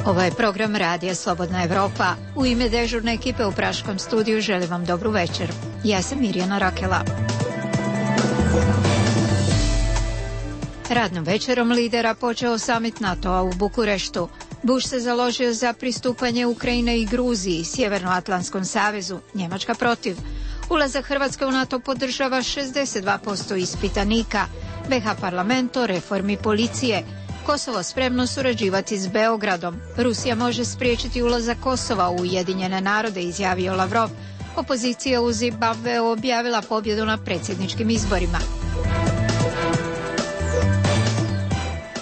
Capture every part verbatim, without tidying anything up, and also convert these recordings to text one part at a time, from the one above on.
Ovo je program Radija Slobodna Evropa. U ime dežurne ekipe u Praškom studiju želim vam dobru večer. Ja sam Mirjana Rakela. Radnom večerom lidera počeo samit NATO-a u Bukureštu. Bush se založio za pristupanje Ukrajine i Gruziji, Sjevernoatlantskom savezu, Njemačka protiv. Ulazak Hrvatske u NATO podržava šezdeset dva posto ispitanika. be ha parlament o reformi policije. Kosovo spremno surađivati s Beogradom. Rusija može spriječiti ulazak Kosova u Ujedinjene narode, izjavio Lavrov. Opozicija u Zimbabveu objavila pobjedu na predsjedničkim izborima.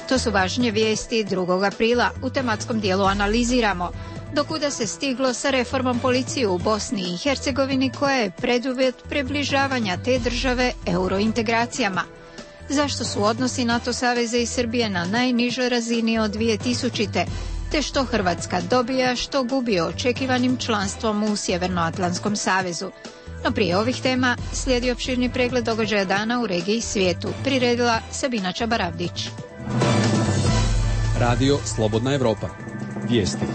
To su važnije vijesti drugog aprila. U tematskom dijelu analiziramo dokuda se stiglo sa reformom policije u Bosni i Hercegovini, koja je preduvjet približavanja te države eurointegracijama. Zašto su odnosi NATO saveza i Srbije na najnižoj razini od dvije tisućite. Te što Hrvatska dobija, što gubi očekivanim članstvom u Sjevernoatlantskom savezu. No prije ovih tema slijedi opširni pregled događaja dana u regiji i svijetu. Priredila Sabina Čabaravdić. Radio Slobodna Evropa. Vijesti.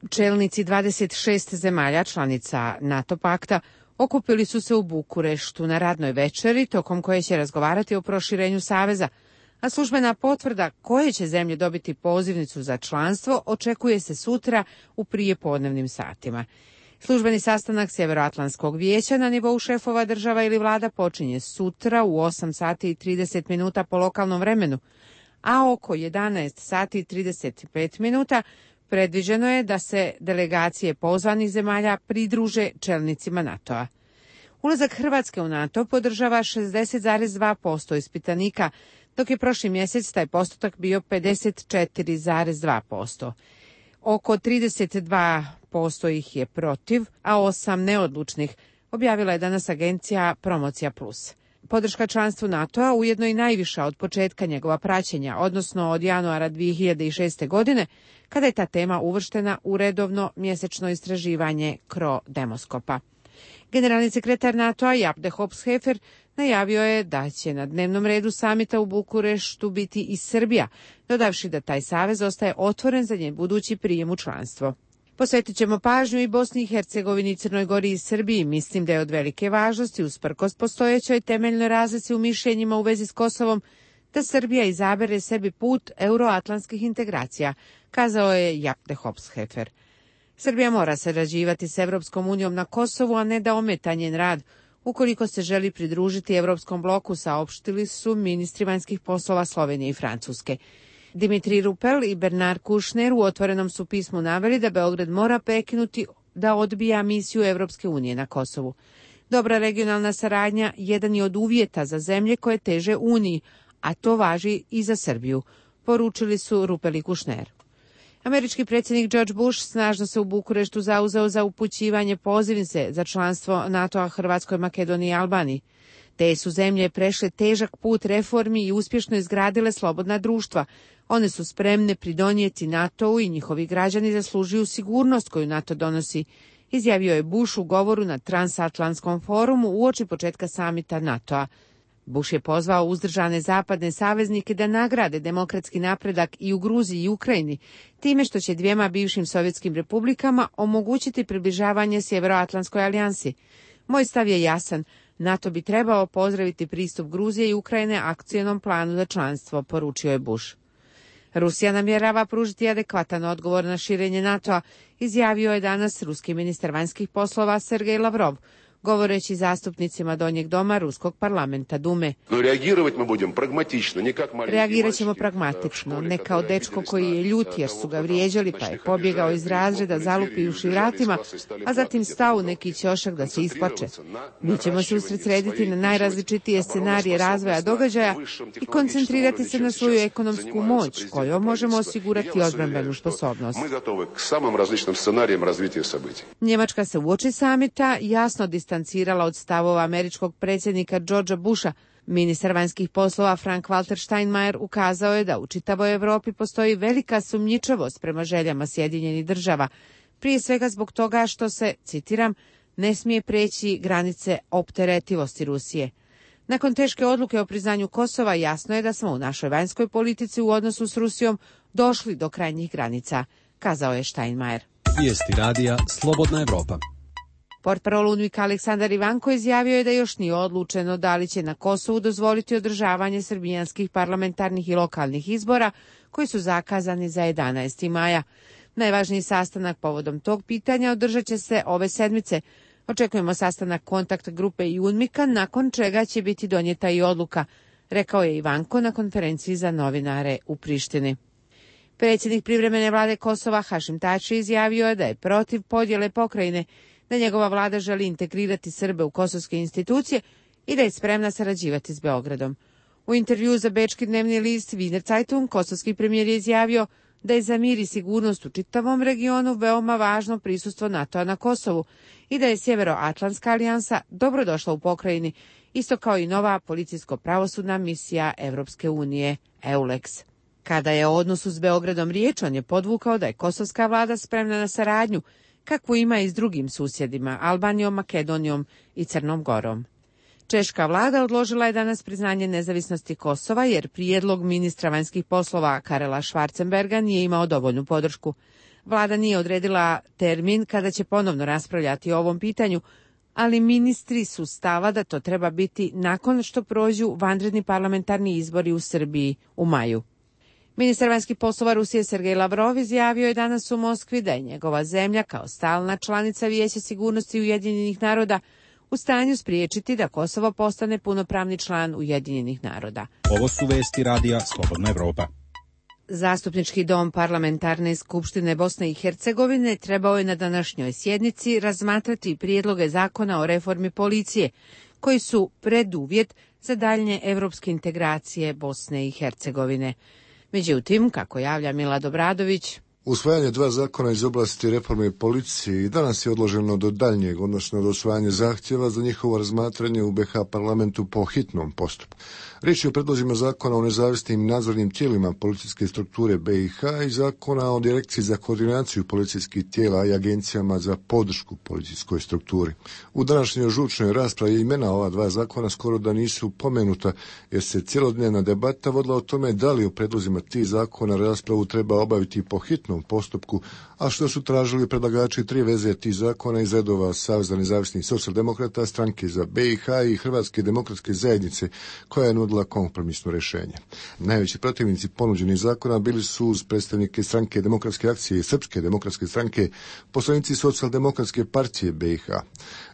Čelnici dvadeset šest zemalja članica NATO pakta okupili su se u Bukureštu na radnoj večeri, tokom koje će razgovarati o proširenju saveza, a službena potvrda koje će zemlje dobiti pozivnicu za članstvo očekuje se sutra u prijepodnevnim satima. Službeni sastanak Sjeveroatlantskog vijeća na nivou šefova država ili vlada počinje sutra u osam sati i trideset minuta po lokalnom vremenu, a oko jedanaest sati i trideset pet minuta predviđeno je da se delegacije pozvanih zemalja pridruže čelnicima NATO-a. Ulazak Hrvatske u NATO podržava šezdeset zarez dva posto ispitanika, dok je prošli mjesec taj postotak bio pedeset četiri zarez dva posto. Oko trideset dva posto ih je protiv, a osam neodlučnih, objavila je danas agencija Promocija plus. Podrška članstvu NATO-a ujedno i najviša od početka njegova praćenja, odnosno od januara dvije hiljade šeste. godine, kada je ta tema uvrštena u redovno mjesečno istraživanje Cro Demoskopa. Generalni sekretar NATO-a Jaap de Hoop-Scheffer najavio je da će na dnevnom redu samita u Bukureštu biti i Srbija, dodavši da taj savez ostaje otvoren za njen budući prijem u članstvo. Posvetit ćemo pažnju i Bosni i Hercegovini, Crnoj Gori i Srbiji. Mislim da je od velike važnosti, usprkos postojećoj temeljnoj razlici u mišljenjima u vezi s Kosovom, da Srbija izabere sebi put euroatlantskih integracija, kazao je Jaap de Hoop-Scheffer. Srbija mora sarađivati s Evropskom unijom na Kosovu, a ne da ometa njen rad, ukoliko se želi pridružiti Evropskom bloku, saopštili su ministri vanjskih poslova Slovenije i Francuske. Dimitri Rupel i Bernard Kouchner u otvorenom su pismu naveli da Beograd mora prekinuti da odbija misiju Evropske unije na Kosovu. Dobra regionalna saradnja jedan je od uvjeta za zemlje koje teže Uniji, a to važi i za Srbiju, poručili su Rupel i Kouchner. Američki predsjednik George Bush snažno se u Bukureštu zauzeo za upućivanje pozivnice za članstvo NATO-a Hrvatskoj, Makedoniji i Albaniji. Te su zemlje prešle težak put reformi i uspješno izgradile slobodna društva. One su spremne pridonijeti NATO-u i njihovi građani zaslužuju sigurnost koju NATO donosi, izjavio je Bush u govoru na Transatlantskom forumu uoči početka samita NATO-a. Bush je pozvao uzdržane zapadne saveznike da nagrade demokratski napredak i u Gruziji i Ukrajini, time što će dvijema bivšim sovjetskim republikama omogućiti približavanje Sjeveroatlantskoj alijansi. Moj stav je jasan. NATO bi trebao pozdraviti pristup Gruzije i Ukrajine akcionom planu za članstvo, poručio je Bush. Rusija namjerava pružiti adekvatan odgovor na širenje NATO-a, izjavio je danas ruski ministar vanjskih poslova Sergej Lavrov, govoreći zastupnicima Donjeg doma Ruskog parlamenta Dume. Reagirat ćemo pragmatično, ne kao dečko koji je ljut jer su ga vrijeđali pa je pobjegao iz razreda zalupivši vratima, a zatim stao u neki ćošak da se isplače. Mi ćemo se usredsrediti na najrazličitije scenarije razvoja događaja i koncentrirati se na svoju ekonomsku moć kojom možemo osigurati odbrambenu sposobnost. Njemačka se uoči samita jasno distancirala od stavova američkog predsjednika Georgea Busha. Ministar vanjskih poslova Frank-Walter Steinmeier ukazao je da u čitavoj Europi postoji velika sumnjičavost prema željama Sjedinjenih država, prije svega zbog toga što se, citiram, ne smije preći granice opteretivosti Rusije. Nakon teške odluke o priznanju Kosova jasno je da smo u našoj vanjskoj politici u odnosu s Rusijom došli do krajnjih granica, kazao je Steinmeier. Vijesti radija Slobodna Evropa. Portparol UNMIK-a Aleksandar Ivanko izjavio je da još nije odlučeno da li će na Kosovu dozvoliti održavanje srbijanskih parlamentarnih i lokalnih izbora koji su zakazani za jedanaesti maja. Najvažniji sastanak povodom tog pitanja održat će se ove sedmice. Očekujemo sastanak kontakt grupe i UNMIK-a, nakon čega će biti donijeta i odluka, rekao je Ivanko na konferenciji za novinare u Prištini. Predsjednik privremene vlade Kosova Hašim Tači izjavio je da je protiv podjele pokrajine, da njegova vlada želi integrirati Srbe u kosovske institucije i da je spremna sarađivati s Beogradom. U intervjuu za bečki dnevni list Wiener Zeitung kosovski premijer je izjavio da je za mir i sigurnost u čitavom regionu veoma važno prisustvo NATO-a na Kosovu i da je Sjeveroatlantska alijansa dobrodošla u pokrajini, isto kao i nova policijsko-pravosudna misija Evropske unije EULEX. Kada je o odnosu s Beogradom riječ, on je podvukao da je kosovska vlada spremna na saradnju, kakvu ima i s drugim susjedima, Albanijom, Makedonijom i Crnom Gorom. Češka vlada odložila je danas priznanje nezavisnosti Kosova jer prijedlog ministra vanjskih poslova Karela Schwarzenberga nije imao dovoljnu podršku. Vlada nije odredila termin kada će ponovno raspravljati o ovom pitanju, ali ministri su stava da to treba biti nakon što prođu vanredni parlamentarni izbori u Srbiji u maju. Ministar vanjskih poslova Rusije Sergej Lavrov izjavio je danas u Moskvi da je njegova zemlja kao stalna članica Vijeća sigurnosti Ujedinjenih naroda u stanju spriječiti da Kosovo postane punopravni član Ujedinjenih naroda. Ovo su vesti radija Slobodna Evropa. Zastupnički dom Parlamentarne skupštine Bosne i Hercegovine trebao je na današnjoj sjednici razmatrati prijedloge zakona o reformi policije, koji su preduvjet za daljnje evropske integracije Bosne i Hercegovine. Međutim, kako javlja Milad Obradović, usvajanje dva zakona iz oblasti reforme policije i danas je odloženo do daljnjeg, odnosno do usvajanja zahtjeva za njihovo razmatranje u be ha parlamentu po hitnom postupku. Riječ je o predlozima zakona o nezavisnim nadzornim tijelima policijske strukture be i ha i zakona o direkciji za koordinaciju policijskih tijela i agencijama za podršku policijskoj strukturi. U današnjoj žučnoj raspravi imena ova dva zakona skoro da nisu pomenuta, jer se cjelodnevna debata vodila o tome da li u predlozima tih zakona raspravu treba obaviti po hitnom postupku, a što su tražili predlagači tri veze tih zakona iz redova Saveza nezavisnih socijaldemokrata, Stranke za be i ha i Hrvatske demokratske zajednice, koja je nudila kompromisno rješenje. Najveći protivnici ponuđenih zakona bili su uz predstavnike Stranke demokratske akcije i Srpske demokratske stranke, poslanici Socijaldemokratske partije be i ha.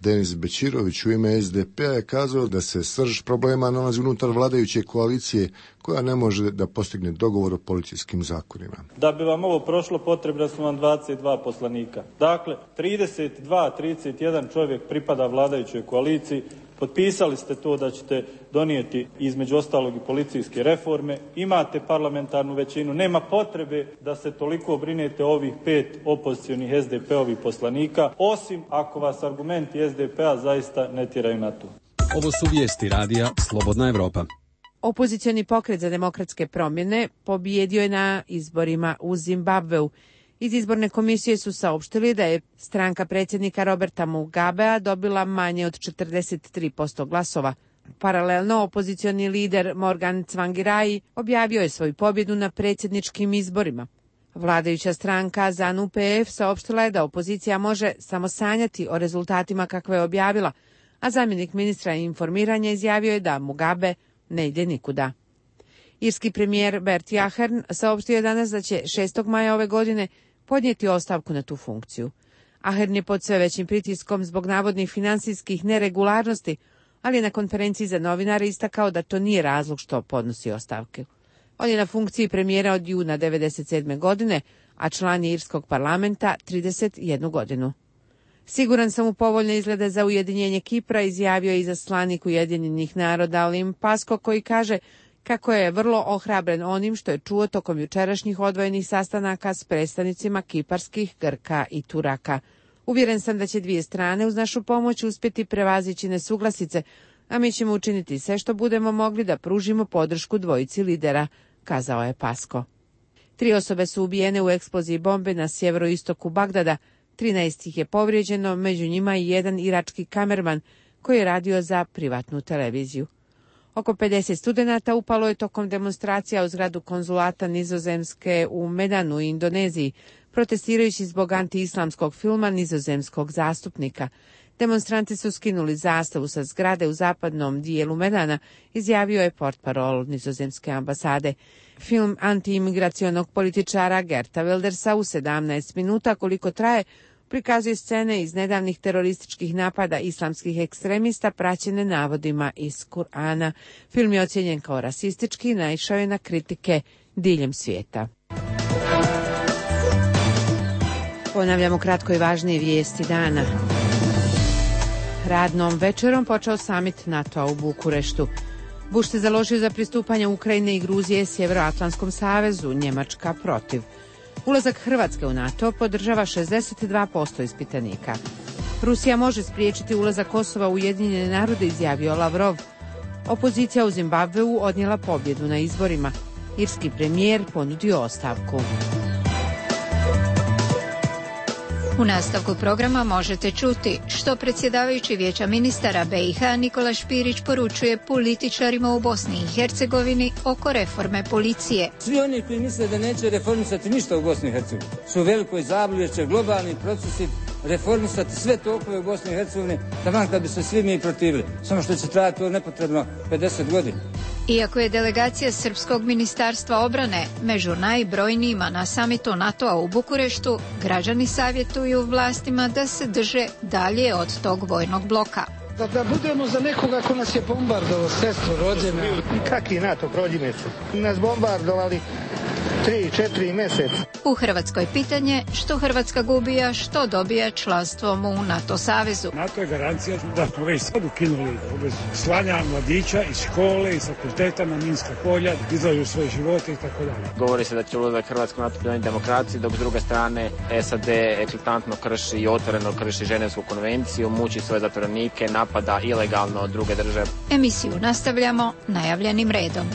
Denis Bećirović u ime es de pe a je kazao da se srž problema nalazi unutar vladajuće koalicije, koja ne može da postigne dogovor o policijskim zakonima. Da bi vam ovo prošlo, potrebna su vam dvadeset dva poslanika. Dakle, trideset dva trideset jedan čovjek pripada vladajućoj koaliciji. Potpisali ste to da ćete donijeti između ostalog i policijske reforme. Imate parlamentarnu većinu. Nema potrebe da se toliko brinete ovih pet opozicionih es de pe-ovih poslanika, osim ako vas argumenti es de pe a zaista ne tjeraju na to. Ovo su vijesti radija Slobodna Evropa. Opozicioni pokret za demokratske promjene pobijedio je na izborima u Zimbabveu. Iz izborne komisije su saopštili da je stranka predsjednika Roberta Mugabea dobila manje od četrdeset tri posto glasova. Paralelno, opozicioni lider Morgan Tsvangirai objavio je svoju pobjedu na predsjedničkim izborima. Vladajuća stranka ZANU pe ef saopštila je da opozicija može samo sanjati o rezultatima kakve je objavila, a zamjenik ministra informiranja izjavio je da Mugabe ne ide nikuda. Irski premijer Bertie Ahern saopštio je danas da će šestog maja ove godine podnijeti ostavku na tu funkciju. Ahern je pod sve većim pritiskom zbog navodnih finansijskih neregularnosti, ali je na konferenciji za novinare istakao da to nije razlog što podnosi ostavke. On je na funkciji premijera od juna devedeset sedme godine, a član je irskog parlamenta trideset jednu godinu. Siguran sam u povoljne izglede za ujedinjenje Kipra, izjavio je izaslanik Ujedinjenih naroda Lim Pasko, koji kaže kako je vrlo ohrabren onim što je čuo tokom jučerašnjih odvojenih sastanaka s predstavnicima kiparskih, Grka i Turaka. Uvjeren sam da će dvije strane uz našu pomoć uspjeti prevazići nesuglasice, a mi ćemo učiniti sve što budemo mogli da pružimo podršku dvojici lidera, kazao je Pasko. Tri osobe su ubijene u eksploziji bombe na sjeveroistoku Bagdada, trinaest ih je povrijeđeno, među njima i jedan irački kamerman koji je radio za privatnu televiziju. Oko pedeset studenata upalo je tokom demonstracija u zgradu konzulata Nizozemske u Medanu u Indoneziji, protestirajući zbog antiislamskog filma nizozemskog zastupnika. Demonstranti su skinuli zastavu sa zgrade u zapadnom dijelu Medana, izjavio je portparol nizozemske ambasade. Film antiimigracionog političara Gerta Wildersa u sedamnaest minuta koliko traje, prikazuje scene iz nedavnih terorističkih napada islamskih ekstremista praćene navodima iz Kur'ana. Film je ocijenjen kao rasistički i naišao je na kritike diljem svijeta. Ponavljamo kratko i važnije vijesti dana. Radnom večerom počeo samit NATO-a u Bukureštu. Bush se založio za pristupanje Ukrajine i Gruzije Sjevernoatlantskom savezu, Njemačka protiv. Ulazak Hrvatske u NATO podržava šezdeset dva posto ispitanika. Rusija može spriječiti ulazak Kosova u Ujedinjene narode, izjavio Lavrov. Opozicija u Zimbabveu odnijela pobjedu na izborima. Irski premijer ponudio ostavku. U nastavku programa možete čuti što predsjedavajući Vijeća ministara B i H Nikola Špirić poručuje političarima u Bosni i Hercegovini oko reforme policije. Svi oni koji misle da neće reformisati ništa u Bosni i Hercegovini su u velikoj zabludi jer će globalni procesi reformisati sve tokove u Bosni i Hercegovini, taman kad bi se svi mi protivili. Samo što će trajati to nepotrebno pedeset godina. Iako je delegacija Srpskog ministarstva obrane među najbrojnijima na samitu NATO-a u Bukureštu, građani savjetuju vlastima da se drže dalje od tog vojnog bloka. Da, da budemo za nekoga ko nas je bombardovao, sestru rođena. Kaki NATO prođi mjesec? Nas bombardovali tri, četiri mjeseca. U Hrvatskoj pitanje što Hrvatska gubi, a što dobija članstvom u NATO savezu. NATO je garancija da smo već sad ukinuli obvezu slanja mladića iz škole i fakulteta na minska polja, izlažu svoje živote i tako dalje. Govori se da će ulazak Hrvatske u NATO pridonijeti demokraciji, dok s druge strane S A D eklatantno krši i otvoreno krši Ženevsku konvenciju, muči svoje zatvorenike, napada ilegalno od druge države. Emisiju nastavljamo najavljenim redom.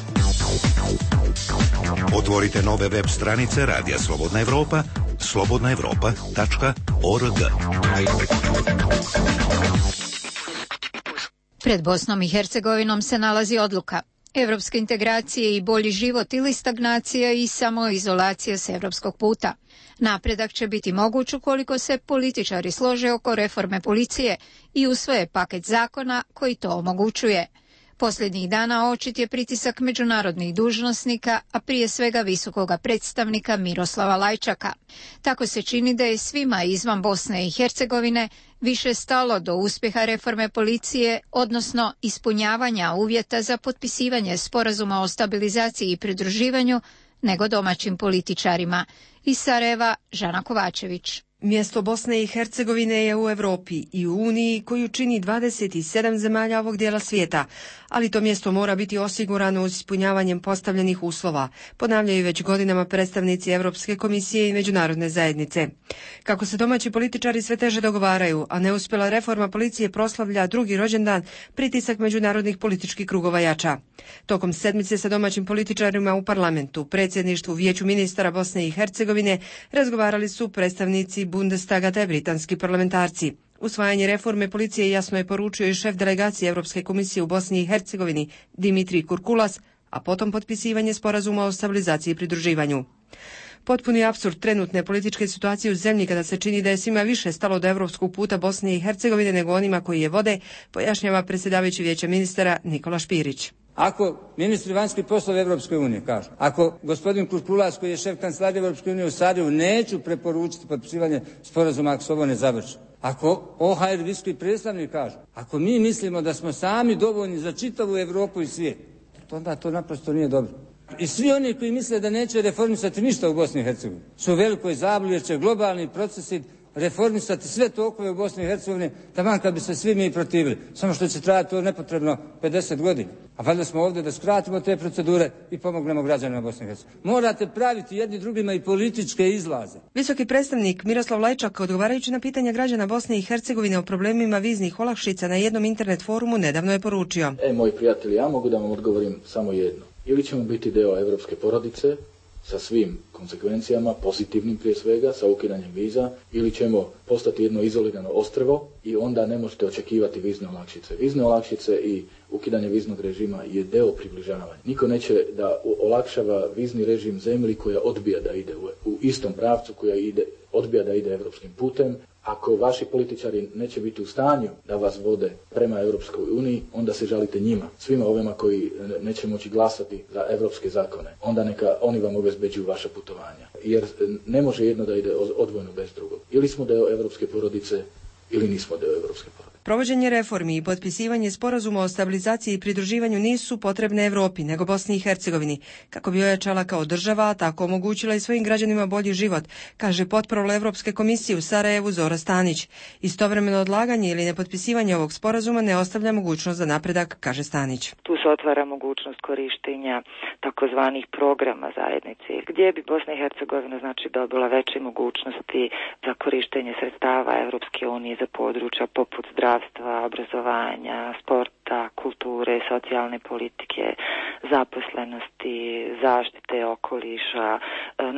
Otvorite nove web stranice Radija Slobodna Evropa, slobodna evropa tačka org. Pred Bosnom i Hercegovinom se nalazi odluka. Evropske integracije i bolji život ili stagnacija i samoizolacija s evropskog puta. Napredak će biti moguć ukoliko se političari slože oko reforme policije i usvoje paket zakona koji to omogućuje. Posljednjih dana očit je pritisak međunarodnih dužnosnika, a prije svega visokoga predstavnika Miroslava Lajčaka. Tako se čini da je svima izvan Bosne i Hercegovine više stalo do uspjeha reforme policije, odnosno ispunjavanja uvjeta za potpisivanje sporazuma o stabilizaciji i pridruživanju, nego domaćim političarima. Iz Sarajeva, Žana Kovačević. Mjesto Bosne i Hercegovine je u Europi i u Uniji koju čini dvadeset sedam zemalja ovog dijela svijeta, ali to mjesto mora biti osigurano uz ispunjavanjem postavljenih uslova, ponavljaju već godinama predstavnici Europske komisije i međunarodne zajednice. Kako se domaći političari sve teže dogovaraju, a neuspjela reforma policije proslavlja drugi rođendan, pritisak međunarodnih političkih krugova jača. Tokom sedmice sa domaćim političarima u parlamentu, predsjedništvu Vijeću ministara Bosne i Hercegovine razgovarali su predstavnici Bundestaga te britanski parlamentarci. Usvajanje reforme policije jasno je poručio i šef delegacije Europske komisije u Bosni i Hercegovini Dimitri Kurkulas, a potom potpisivanje sporazuma o stabilizaciji i pridruživanju. Potpuni apsurd trenutne političke situacije u zemlji kada se čini da je svima više stalo do europskog puta Bosne i Hercegovine nego onima koji je vode, pojašnjava predsjedavajući Vijeća ministara Nikola Špirić. Ako ministri vanjskih poslova Evropske unije kažu, ako gospodin Kurkulas koji je šef kancelarije Evropske unije u Sarajevu neću preporučiti potpisivanje sporazuma ako se ovo ne završi. Ako O H R visoki predstavnik kažu, ako mi mislimo da smo sami dovoljni za čitavu Evropu i svijet, onda to naprosto nije dobro. I svi oni koji misle da neće reformisati ništa u Bosni i Hercegovini su u velikoj zabludi jer će globalni procesi reformisati sve tokove u Bosni i Hercegovini, taman kad bi se svi mi protivili. Samo što će trajati to nepotrebno pedeset godina. A valjda smo ovdje da skratimo te procedure i pomognemo građanima Bosne i Hercegovine. Morate praviti jedni drugima i političke izlaze. Visoki predstavnik Miroslav Lajčak, odgovarajući na pitanja građana Bosne i Hercegovine o problemima viznih olakšica na jednom internet forumu, nedavno je poručio. E, moji prijatelji, ja mogu da vam odgovorim samo jedno. Ili ćemo biti deo evropske porodice, sa svim konsekvencijama, pozitivnim prije svega, sa ukidanjem viza, ili ćemo postati jedno izolirano ostrvo i onda ne možete očekivati vizne olakšice. Vizne olakšice i ukidanje viznog režima je deo približavanja. Niko neće da olakšava vizni režim zemlji koja odbija da ide u, u istom pravcu, koja ide, odbija da ide evropskim putem. Ako vaši političari neće biti u stanju da vas vode prema Europskoj uniji, onda se žalite njima, svima ovima koji neće moći glasati za evropske zakone. Onda neka oni vam obezbeđuju vaša putovanja. Jer ne može jedno da ide odvojeno bez drugog. Ili smo deo evropske porodice, ili nismo deo evropske porodice. Provođenje reformi i potpisivanje sporazuma o stabilizaciji i pridruživanju nisu potrebne Evropi, nego Bosni i Hercegovini, kako bi ojačala kao država, a tako omogućila i svojim građanima bolji život, kaže potparol Evropske komisije u Sarajevu Zora Stanić. Istovremeno odlaganje ili nepotpisivanje ovog sporazuma ne ostavlja mogućnost za napredak, kaže Stanić. Tu se otvara mogućnost korištenja takozvanih programa zajednice, gdje bi Bosna i Hercegovina znači dobila veće mogućnosti za korištenje sredstava Evropske unije za područja poput zdravstva, obrazovanja, sporta, kulture, socijalne politike, zaposlenosti, zaštite okoliša,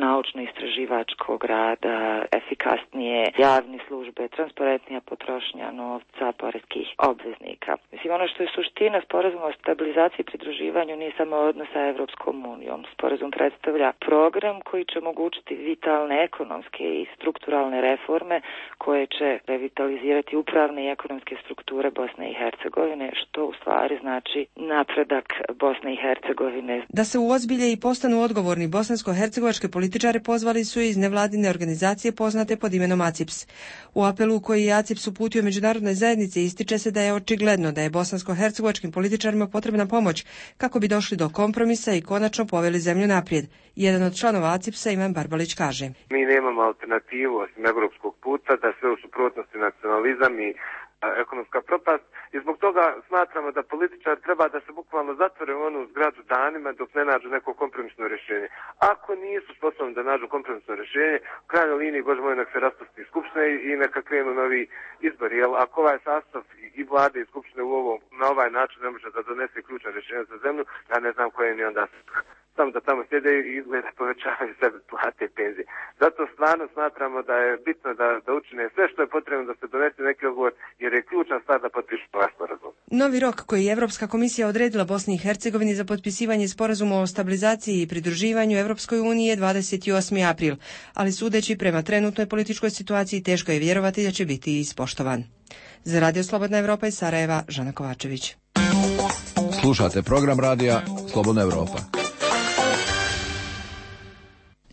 naučno-istraživačkog rada, efikasnije javne službe, transparentnija potrošnja novca poreskih obveznika. Mislim, ono što je suština sporazuma o stabilizaciji i pridruživanju nije samo odnos sa Evropskom unijom. Sporazum predstavlja program koji će omogućiti vitalne ekonomske i strukturalne reforme koje će revitalizirati upravne i ekonomske strukture Bosne i Hercegovine, što u stvari znači napredak Bosne i Hercegovine. Da se uozbilje i postanu odgovorni bosansko-hercegovačke političare pozvali su iz nevladine organizacije poznate pod imenom A C I P S. U apelu koji je A C I P S uputio međunarodnoj zajednici ističe se da je očigledno da je bosansko-hercegovačkim političarima potrebna pomoć kako bi došli do kompromisa i konačno poveli zemlju naprijed. Jedan od članova A C I P S-a Ivan Barbalić kaže: Mi nemamo alternativu osim evropskog puta, da sve u suprotnosti nacionalizam i ekonomska propast i zbog toga smatramo da političar treba da se bukvalno zatvore u onu zgradu danima dok ne nađu neko kompromisno rješenje. Ako nisu sposobni da nađu kompromisno rješenje, u krajnjoj liniji, Bože moj, nek se raspusti skupština i neka krenu novi izbori. Jer ako ovaj sastav i vlade i skupštine u ovo, na ovaj način ne može da donese ključna rješenja za zemlju, ja ne znam koje ni onda samo da tamo sjede i izgleda povećavaju sebe plate i penzije. Zato stvarno smatramo da je bitno da, da učine sve što je potrebno da se donese neki odgovor, jer je ključna stvar da potpišu ovaj sporazum. Novi rok koji je Evropska komisija odredila Bosni i Hercegovini za potpisivanje sporazuma o stabilizaciji i pridruživanju Evropskoj uniji je dvadeset osmi april, ali sudeći prema trenutnoj političkoj situaciji teško je vjerovati da će biti ispoštovan. Za Radio Slobodna Evropa iz Sarajeva, Žana Kovačević. Slušate program radija Slobodna Evropa.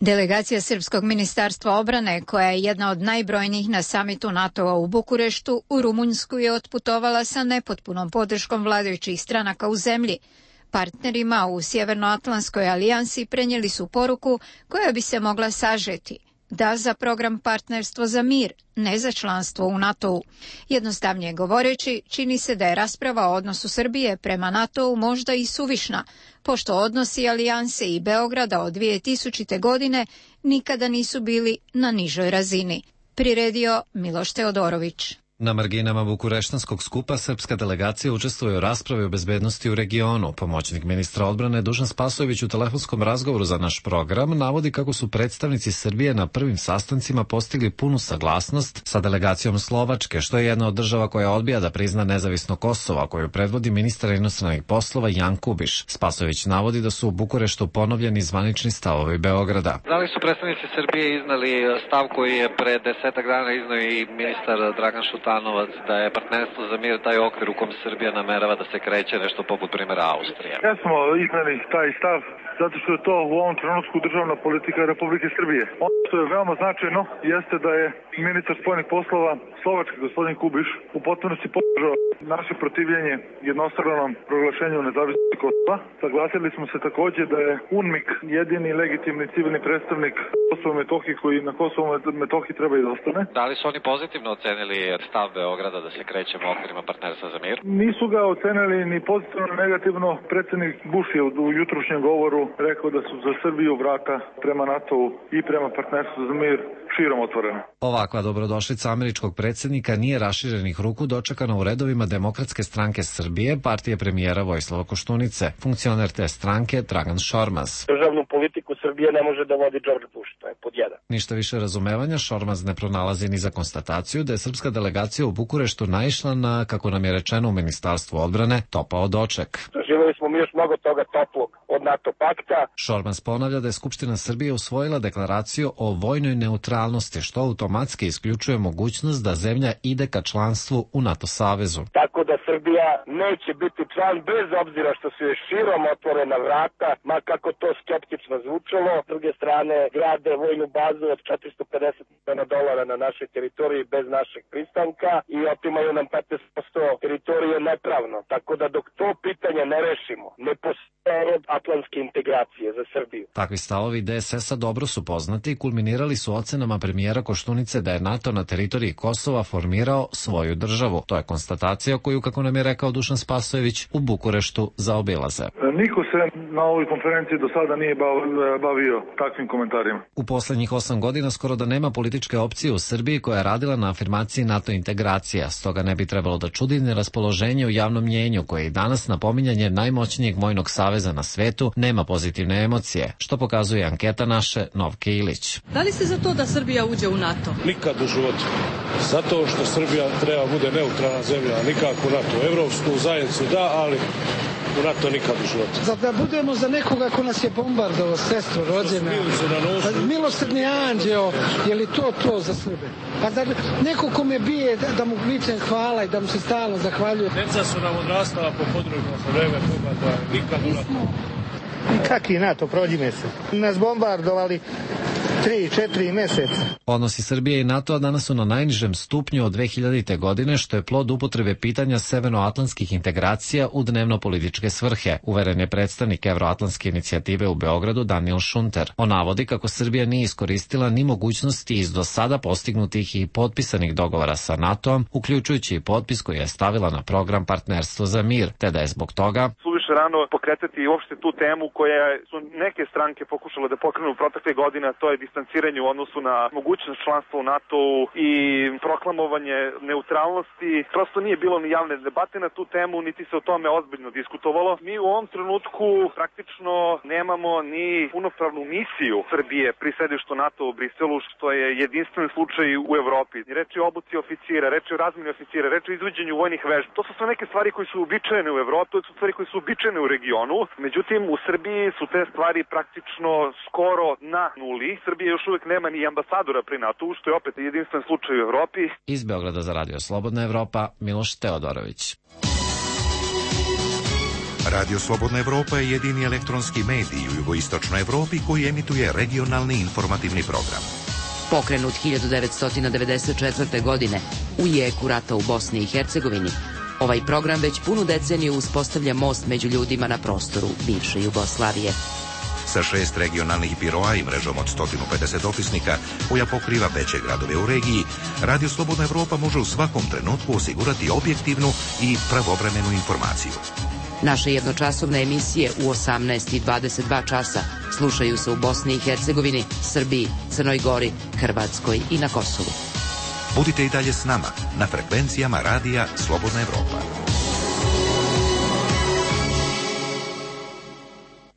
Delegacija Srpskog ministarstva obrane, koja je jedna od najbrojnijih na samitu NATO-a u Bukureštu, u Rumunjsku je otputovala sa nepotpunom podrškom vladajućih stranaka u zemlji. Partnerima u Sjevernoatlantskoj alijansi prenijeli su poruku koja bi se mogla sažeti: da za program Partnerstvo za mir, ne za članstvo u NATO-u. Jednostavnije govoreći, čini se da je rasprava o odnosu Srbije prema NATO-u možda i suvišna, pošto odnosi alijanse i Beograda od dvije tisućite. godine nikada nisu bili na nižoj razini. Priredio Miloš Teodorović. Na marginama Bukureštanskog skupa srpska delegacija učestvuje u raspravi o bezbednosti u regionu. Pomoćnik ministra odbrane Dušan Spasojević u telefonskom razgovoru za naš program navodi kako su predstavnici Srbije na prvim sastancima postigli punu saglasnost sa delegacijom Slovačke, što je jedna od država koja odbija da prizna nezavisno Kosovo, koju predvodi ministar inostranih poslova Jan Kubiš. Spasojević navodi da su u Bukureštu ponovljeni zvanični stavovi Beograda. Da li su predstavnici Srbije iznali stav koji je pre desetak dana iznao i ministar Dragan Šutanovac, da je partnerstvo za mir taj okvir u kom Srbija namerava da se kreće, nešto poput primjera Austrije? Ja smo iznali taj stav zato što je to u ovom trenutku državna politika Republike Srbije. Ono što je veoma značajno jeste da je ministar spoljnih poslova Slovačke, gospodin Kubiš, u potpunosti podržao naše protivljenje jednostranom proglašenju nezavisnosti Kosova. Saglasili smo se takođe da je UNMIK jedini legitimni civilni predstavnik Kosova i Metohije koji na Kosovu i Metohiji treba i da ostane. Da li su oni pozitivno ocenili stav Beograda da se krećemo okvirima partnerstva za mir? Nisu ga ocenili ni pozitivno ni negativno. Predsednik Bush je u jutrušnjem govoru rekao da su za Srbiju vrata prema NATO-u i prema partnerstvu za mir širom otvorena. Ovakva dobrodošlica američkog predsjednika nije raširenih ruku dočekana u redovima Demokratske stranke Srbije, partije premijera Vojislava Koštunice. Funkcioner te stranke Dragan Šormaz. Državnu politiku Srbije ne može da vodi George Bush, to je pod jedan. Ništa više razumevanja Šormaz ne pronalazi ni za konstataciju da je srpska delegacija u Bukureštu naišla na, kako nam je rečeno u Ministarstvu odbrane, topao doček. Doživjeli smo mi još mnogo toga toplog od NATO pakta. Šormaz ponavlja da je Skupština Srbije usvojila deklaraciju o vojnoj neutralnosti, što automatski isključuje mogućnost da zemlja ide ka članstvu u NATO savezu. Tako da Srbija neće biti član bez obzira što su je širom otvorena vrata, ma kako to skeptično zvučalo. S druge strane, grade vojnu bazu od četiristo pedeset miliona dolara na našoj teritoriji bez našeg pristanka i otimaju nam petnaest posto teritorije nepravno. Tako da dok to pitanje ne rešimo, ne postoje rod atlantske integracije za Srbiju. Takvi stavovi D S S-a dobro su poznati i kulminirali su ocenama premijera Koštunice da je NATO na teritoriji Kosova formirao svoju državu. To je konstatacija koju, kako nam je rekao Dušan Spasojević, u Bukureštu zaobilaze. Niko se na ovoj konferenciji do sada nije bavio takvim komentarima. U poslednjih osam godina skoro da nema političke opcije u Srbiji koja je radila na afirmaciji NATO integracija, stoga ne bi trebalo da čudi neraspoloženje u javnom mnjenju koje i danas na pominjanje najmoćnijeg vojnog saveza na svetu nema pozitivne emocije, što pokazuje anketa naše Novke Ilić. Da li ste za to da Srbija uđe u NATO? Nikad u životu. Zato što Srbija treba bude neutralna zemlja, nikako u NATO. Evropsku zajednicu da, ali u NATO nikad u životu. Za da budemo za nekoga ko nas je bombardovao, sestru rođena. Pa, milosrdni anđeo, je li to to za Srbe? Pa da neko ko me bije, da, da mu vičem hvala i da mu se stalno zahvaljuje. Deca su nam odrastala po području sa vreme toga da nikad u NATO. Kaki NATO, prođi mesec. Nas bombardovali tri, četiri meseca. Odnosi Srbije i NATO danas su na najnižem stupnju od dve hiljadite. godine, što je plod upotrebe pitanja severnoatlantskih integracija u dnevno-političke svrhe, uveren je predstavnik Evroatlantske inicijative u Beogradu Daniel Šunter. On navodi kako Srbija nije iskoristila ni mogućnosti iz do sada postignutih i potpisanih dogovora sa NATO-om, uključujući i potpis koji je stavila na program Partnerstvo za mir, te da je zbog toga suviše rano pokretati uopšte tu temu koja su neke stranke pokušale da pokrenu u protekle godine, to je distanciranje u odnosu na mogućnost članstva u NATO-u i proklamovanje neutralnosti. Prosto nije bilo ni javne debate na tu temu, niti se o tome ozbiljno diskutovalo. Mi u ovom trenutku praktično nemamo ni punopravnu misiju Srbije pri sedištu NATO u Briselu, što je jedinstven slučaj u Evropi. Reč je o obuci oficira, reč je o razmeni oficira, reč je o izvođenju vojnih vežbi. To su sve neke stvari koje su uobičajene u Evropi, to su stvari koje su uobičajene u regionu. Međutim, u Srbiji su te stvari praktično skoro na nuli. Srbija još uvek nema ni ambasadora pri NATO-u, što je opet jedinstven slučaj u Evropi. Iz Beograda za Radio Slobodna Evropa, Miloš Teodorović. Radio Slobodna Evropa je jedini elektronski medij u jugoistočnoj Evropi koji emituje regionalni informativni program. Pokrenut hiljadu devetsto devedeset četvrte. godine u jeku rata u Bosni i Hercegovini, ovaj program već punu deceniju uspostavlja most među ljudima na prostoru bivše Jugoslavije. Sa šest regionalnih biroa i mrežom od sto pedeset opisnika koja pokriva veće gradove u regiji, Radio Slobodna Evropa može u svakom trenutku osigurati objektivnu i pravovremenu informaciju. Naše jednočasovne emisije u osamnaest i dvadeset dva časa slušaju se u Bosni i Hercegovini, Srbiji, Crnoj Gori, Hrvatskoj i na Kosovu. Budite i dalje s nama na frekvencijama Radija Slobodna Evropa.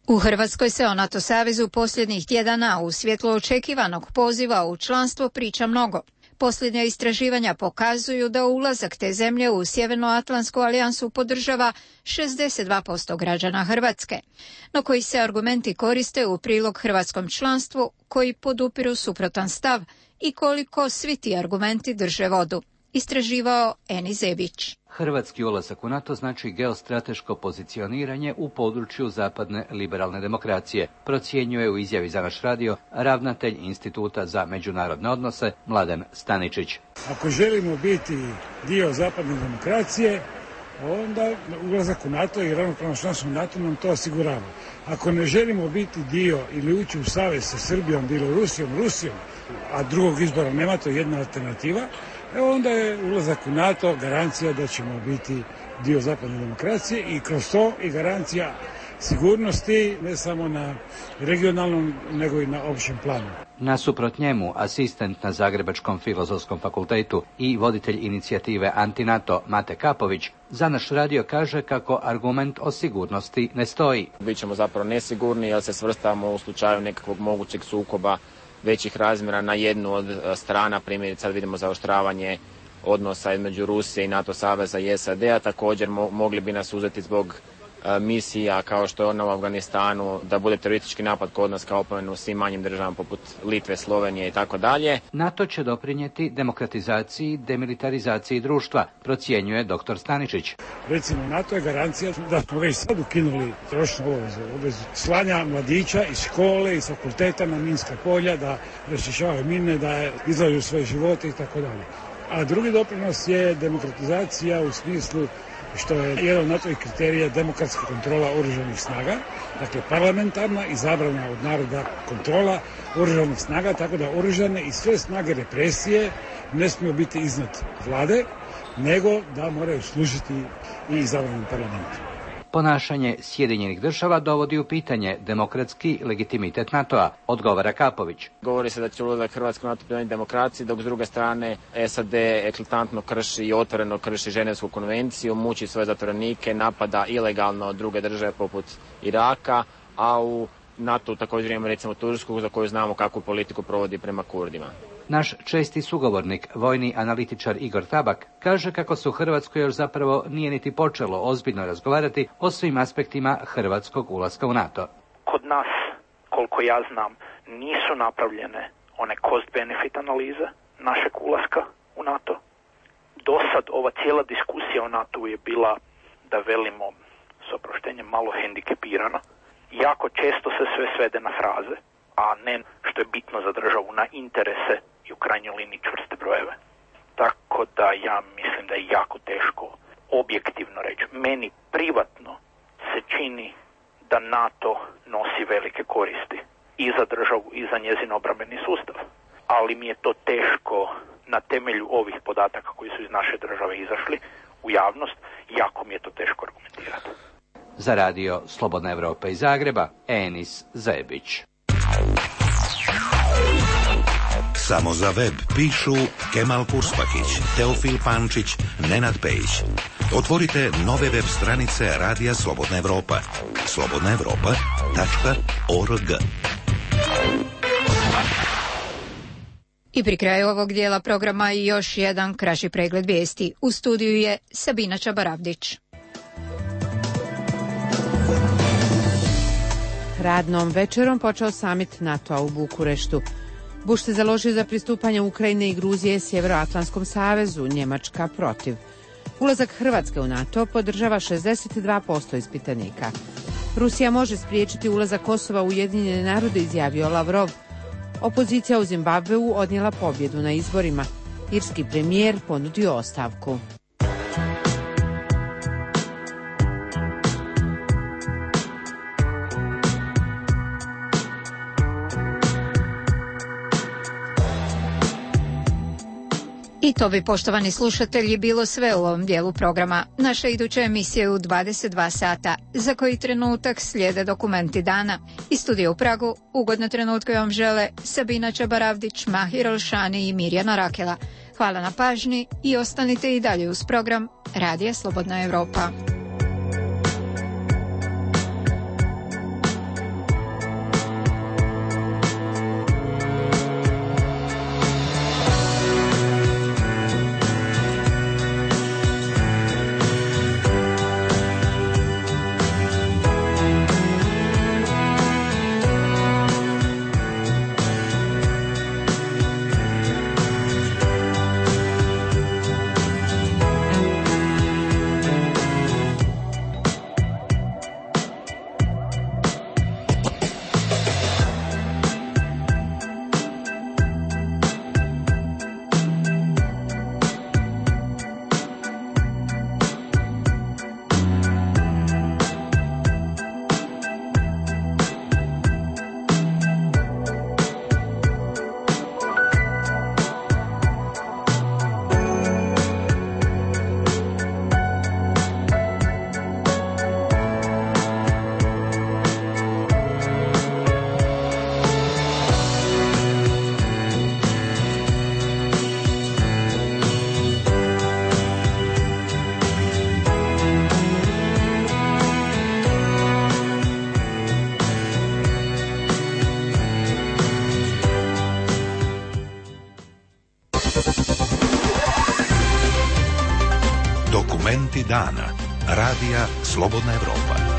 U Hrvatskoj se o NATO savezu posljednjih tjedana u svjetlu očekivanog poziva u članstvo priča mnogo. Posljednja istraživanja pokazuju da ulazak te zemlje u Sjevernoatlantsku alijansu podržava šezdeset dva posto građana Hrvatske, no koji se argumenti koriste u prilog hrvatskom članstvu koji podupiru suprotan stav i koliko svi ti argumenti drže vodu. Istraživao Eni Zebić. Hrvatski ulazak u NATO znači geostrateško pozicioniranje u području zapadne liberalne demokracije, procjenjuje u izjavi za naš radio ravnatelj Instituta za međunarodne odnose Mladen Staničić. Ako želimo biti dio zapadne demokracije, onda ulazak u NATO i ravnopravno članstvo u NATO nam to osigurava. Ako ne želimo biti dio ili ući u savez sa Srbijom, Bjelorusijom, Rusijom, a drugog izbora nema, to je jedna alternativa, e onda je ulazak u NATO garancija da ćemo biti dio zapadne demokracije i kroz to i garancija sigurnosti, ne samo na regionalnom, nego i na općem planu. Nasuprot njemu, asistent na Zagrebačkom filozofskom fakultetu i voditelj inicijative Antinato Mate Kapović za naš radio kaže kako argument o sigurnosti ne stoji. Bićemo zapravo nesigurni jer se svrstavamo u slučaju nekakvog mogućeg sukoba većih razmjera na jednu od strana, primjerice sad vidimo zaoštravanje odnosa između Rusije i NATO saveza i S A D-a, također mo- mogli bi nas uzeti zbog a, misija kao što je ona u Afganistanu, da bude teroristički napad kod nas kao opomenu u svim manjim državama poput Litve, Slovenije i tako dalje. NATO će doprinijeti demokratizaciji, demilitarizaciji društva, procjenjuje doktor Staničić. Recimo, NATO je garancija da smo već sad ukinuli trošnu obavezu, obavezu slanja mladića iz škole, iz fakulteta na minska polja, da raščišćavaju mine, da izlažu svoje živote i tako dalje. A drugi doprinos je demokratizacija u smislu što je jedan od NATO-vih kriterija demokratska kontrola oružanih snaga, dakle parlamentarna izabrana od naroda kontrola oružanih snaga, tako da oružane i sve snage represije ne smiju biti iznad vlade, nego da moraju služiti i izabranom parlamentu. Ponašanje Sjedinjenih država dovodi u pitanje demokratski legitimitet NATO-a, odgovara Kapović. Govori se da će ulazak Hrvatske u NATO pridonijeti demokraciji, dok s druge strane S A D eklatantno krši i otvoreno krši Ženevsku konvenciju, muči svoje zatvorenike, napada ilegalno druge države poput Iraka, a u NATO također imamo recimo Tursku za koju znamo kakvu politiku provodi prema Kurdima. Naš česti sugovornik, vojni analitičar Igor Tabak, kaže kako se u Hrvatskoj još zapravo nije niti počelo ozbiljno razgovarati o svim aspektima hrvatskog ulaska u NATO. Kod nas, koliko ja znam, nisu napravljene one cost-benefit analize našeg ulaska u NATO. Do sad ova cijela diskusija o NATO je bila, da velimo s oproštenjem, malo hendikepirana. Jako često se sve svede na fraze, a ne što je bitno za državu, na interese i u krajnjoj liniji čvrste brojeve. Tako da ja mislim da je jako teško objektivno reći. Meni privatno se čini da NATO nosi velike koristi i za državu i za njezin obrambeni sustav. Ali mi je to teško na temelju ovih podataka koji su iz naše države izašli u javnost, jako mi je to teško argumentirati. Za radio Slobodna Evropa iz Zagreba, Enis Zebić. Samo za web pišu Kemal Kurspakić, Teofil Pančić, Nenad Pejić. Otvorite nove web stranice Radija Slobodna Evropa. slobodna evropa tačka org. I pri kraju ovog dijela programa još jedan kraći pregled vijesti. U studiju je Sabina Čabaravdić. Radnom večerom počeo samit NATO-a u Bukureštu. Bush se založio za pristupanje Ukrajine i Gruzije Sjevernoatlantskom savezu, Njemačka protiv. Ulazak Hrvatske u NATO podržava šezdeset dva posto ispitanika. Rusija može spriječiti ulazak Kosova u Ujedinjene narode, izjavio Lavrov. Opozicija u Zimbabveu odnijela pobjedu na izborima. Irski premijer ponudio ostavku. I to bi, poštovani slušatelji, bilo sve u ovom dijelu programa. Naša iduća emisija je u dvadeset dva sata, za koji trenutak slijede dokumenti dana. Iz studija u Pragu ugodne trenutke vam žele Sabina Čabaravdić, Mahir Olšani i Mirjana Rakela. Hvala na pažnji i ostanite i dalje uz program Radija Slobodna Evropa. Dokumenti dana. Radija Slobodna Evropa.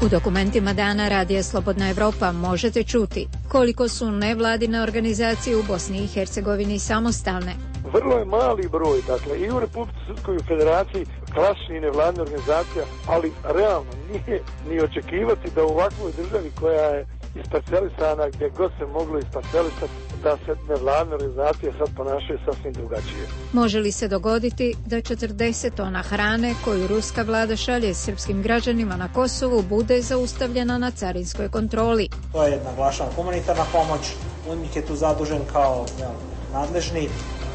U dokumentima dana Radija Slobodna Evropa možete čuti koliko su nevladine organizacije u Bosni i Hercegovini samostalne. Vrlo je mali broj, dakle, i u Republici Srpskoj federaciji klasičnih nevladnih organizacija, ali realno nije ni očekivati da u ovakvoj državi koja je isparcelisana, gdje god se moglo isparcelisati, da se nevladne organizacije sad ponašaju sasvim drugačije. Može li se dogoditi da četrdeset tona hrane koju ruska vlada šalje srpskim građanima na Kosovu bude zaustavljena na carinskoj kontroli? To je, naglašavam, humanitarna pomoć. UNMIK je tu zadužen kao ja, nadležni.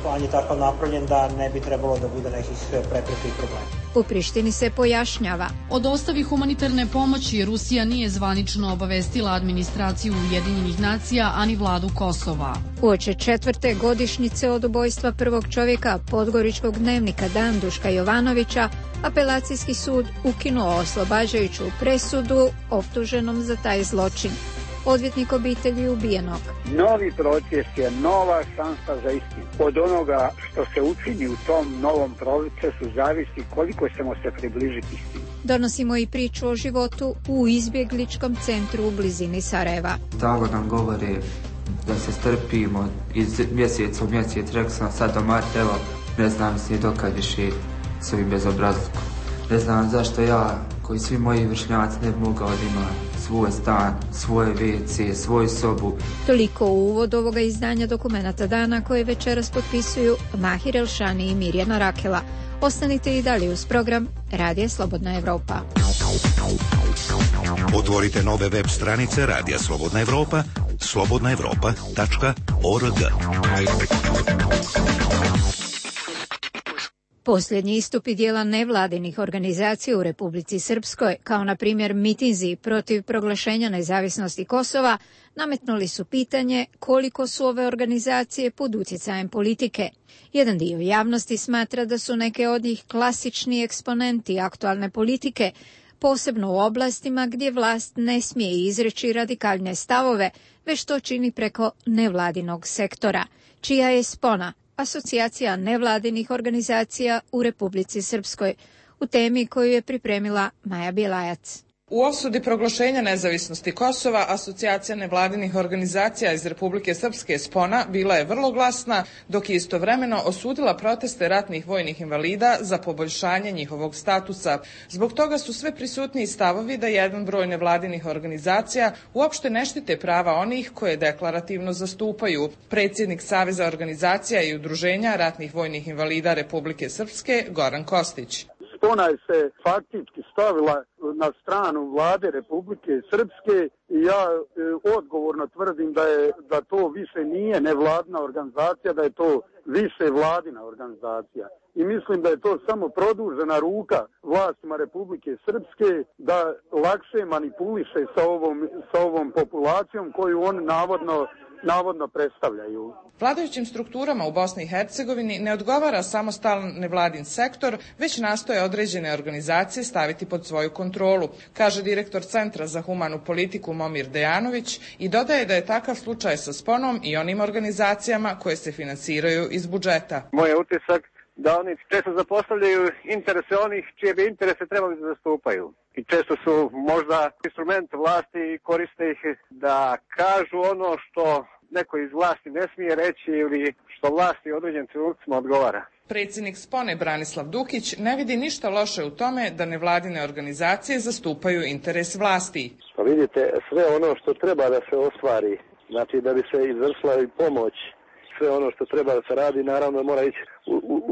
Plan je tako napravljen da ne bi trebalo da bude nekih prepreka i problema. U Prištini se pojašnjava. O dostavi humanitarne pomoći Rusija nije zvanično obavestila administraciju Ujedinjenih nacija, ani vladu Kosova. Uoči četvrte godišnjice od ubojstva prvog čovjeka podgoričkog dnevnika Dan Duška Jovanovića, apelacijski sud ukinuo oslobađajuću presudu optuženom za taj zločin. Odvjetnik obitelji ubijenog. Novi proces je nova šansa za istinu. Od onoga što se učini u tom novom procesu zavisi koliko ćemo se približiti istini. Donosimo i priču o životu u izbjegličkom centru u blizini Sarajeva. Tako nam govori da se strpimo iz mjeseca u mjesec, rekao sam sad do marta, evo, ne znam se dokad više s ovim bezobrazlukom. Ne znam zašto ja, koji svi moji vršnjaci, ne bi mogao da ima svoj stan, svoje ve ce, svoju sobu. Toliko u uvod ovoga izdanja Dokumenata dana koje večeras potpisuju Mahir Elšani i Mirjana Rakela. Ostanite i dalje uz program Radija Slobodna Evropa. Otvorite nove web stranice Radija Slobodna Evropa, slobodna evropa tačka org. Posljednji istupi dijela nevladinih organizacija u Republici Srpskoj, kao na primjer mitinzi protiv proglašenja nezavisnosti Kosova, nametnuli su pitanje koliko su ove organizacije pod utjecajem politike. Jedan dio javnosti smatra da su neke od njih klasični eksponenti aktualne politike, posebno u oblastima gdje vlast ne smije izreći radikalne stavove, već to čini preko nevladinog sektora, čija je spona Asocijacija nevladinih organizacija u Republici Srpskoj, u temi koju je pripremila Maja Bjelajac. U osudi proglašenja nezavisnosti Kosova, Asocijacija nevladinih organizacija iz Republike Srpske Spona bila je vrlo glasna, dok je istovremeno osudila proteste ratnih vojnih invalida za poboljšanje njihovog statusa. Zbog toga su sve prisutniji stavovi da jedan broj nevladinih organizacija uopšte ne štite prava onih koje deklarativno zastupaju. Predsjednik Saveza organizacija i udruženja ratnih vojnih invalida Republike Srpske, Goran Kostić. Spona je se faktički stavila na stranu vlade Republike Srpske i ja e, odgovorno tvrdim da je da to više nije nevladina organizacija, da je to više vladina organizacija. I mislim da je to samo produžena ruka vlastima Republike Srpske da lakše manipuliše sa ovom, sa ovom populacijom koju oni navodno navodno predstavljaju. Vladajućim strukturama u Bosni i Hercegovini ne odgovara samostalan nevladin sektor, već nastoje određene organizacije staviti pod svoju kontrolu, kaže direktor Centra za humanu politiku Momir Dejanović i dodaje da je takav slučaj sa Sponom i onim organizacijama koje se finansiraju iz budžeta. Moj je utisak da oni često zapostavljaju interese onih čije bi interese trebali da zastupaju. I često su možda instrument vlasti i koriste ih da kažu ono što neko iz vlasti ne smije reći ili što vlasti u određenim trenucima odgovara. Predsjednik Spone Branislav Dukić ne vidi ništa loše u tome da nevladine organizacije zastupaju interes vlasti. Pa vidite, sve ono što treba da se ostvari, znači da bi se izvršila i pomoć, sve ono što treba da se radi, naravno mora ići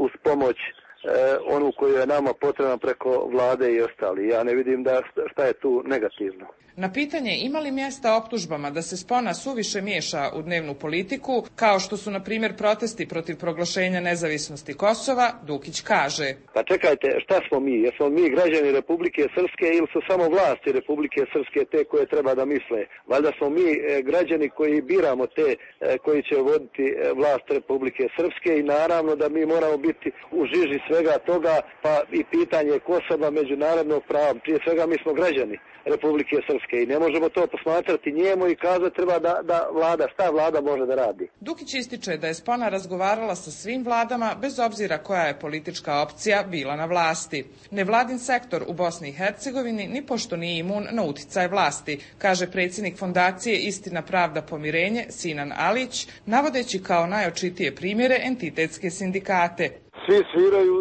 uz pomoć eh, onu koju je nama potrebna preko vlade i ostali. Ja ne vidim da šta je tu negativno. Na pitanje ima li mjesta optužbama da se Spona suviše miješa u dnevnu politiku, kao što su na primjer protesti protiv proglašenja nezavisnosti Kosova, Dukić kaže. Pa čekajte, šta smo mi? Jesmo mi građani Republike Srpske ili su samo vlasti Republike Srpske te koje treba da misle? Valjda smo mi građani koji biramo te koji će voditi vlast Republike Srpske i naravno da mi moramo biti u žiži sve svega toga, pa i pitanje Kosova, međunarodnog prava. Prije svega mi smo građani Republike Srpske i ne možemo to posmatrati njemu i kazati treba da, da vlada, šta vlada može da radi. Dukić ističe da je Spona razgovarala sa svim vladama bez obzira koja je politička opcija bila na vlasti. Nevladin sektor u Bosni i Hercegovini ni pošto nije imun na uticaj vlasti, kaže predsjednik fondacije Istina, pravda, pomirenje Sinan Alić, navodeći kao najočitije primjere entitetske sindikate. Svi sviraju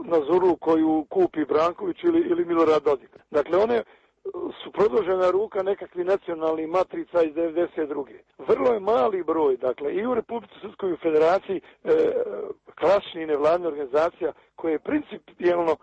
na zurlu koju kupi Branković ili, ili Milorad Dodik. Dakle, one su produžena ruka nekakvih nacionalnih matrica iz devedeset druge. Vrlo je mali broj, dakle, i u Republici Srpskoj federaciji e, klasičnih nevladnih organizacija koje principijelno e,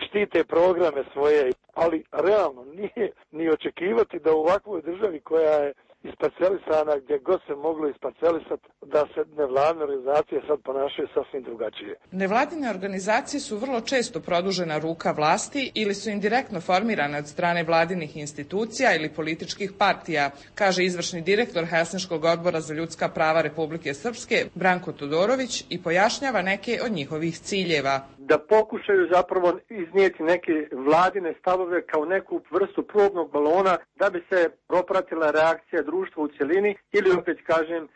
štite programe svoje, ali realno nije ni očekivati da u ovakvoj državi koja je isparcelisana gdje god se moglo isparcelisati, da se nevladne organizacije sad ponašaju sasvim drugačije. Nevladine organizacije su vrlo često produžena ruka vlasti ili su indirektno formirane od strane vladinih institucija ili političkih partija, kaže izvršni direktor Helsinškog odbora za ljudska prava Republike Srpske Branko Todorović i pojašnjava neke od njihovih ciljeva. Da pokušaju zapravo iznijeti neke vladine stavove kao neku vrstu probnog balona da bi se propratila reakcija društva u cjelini ili opet kažem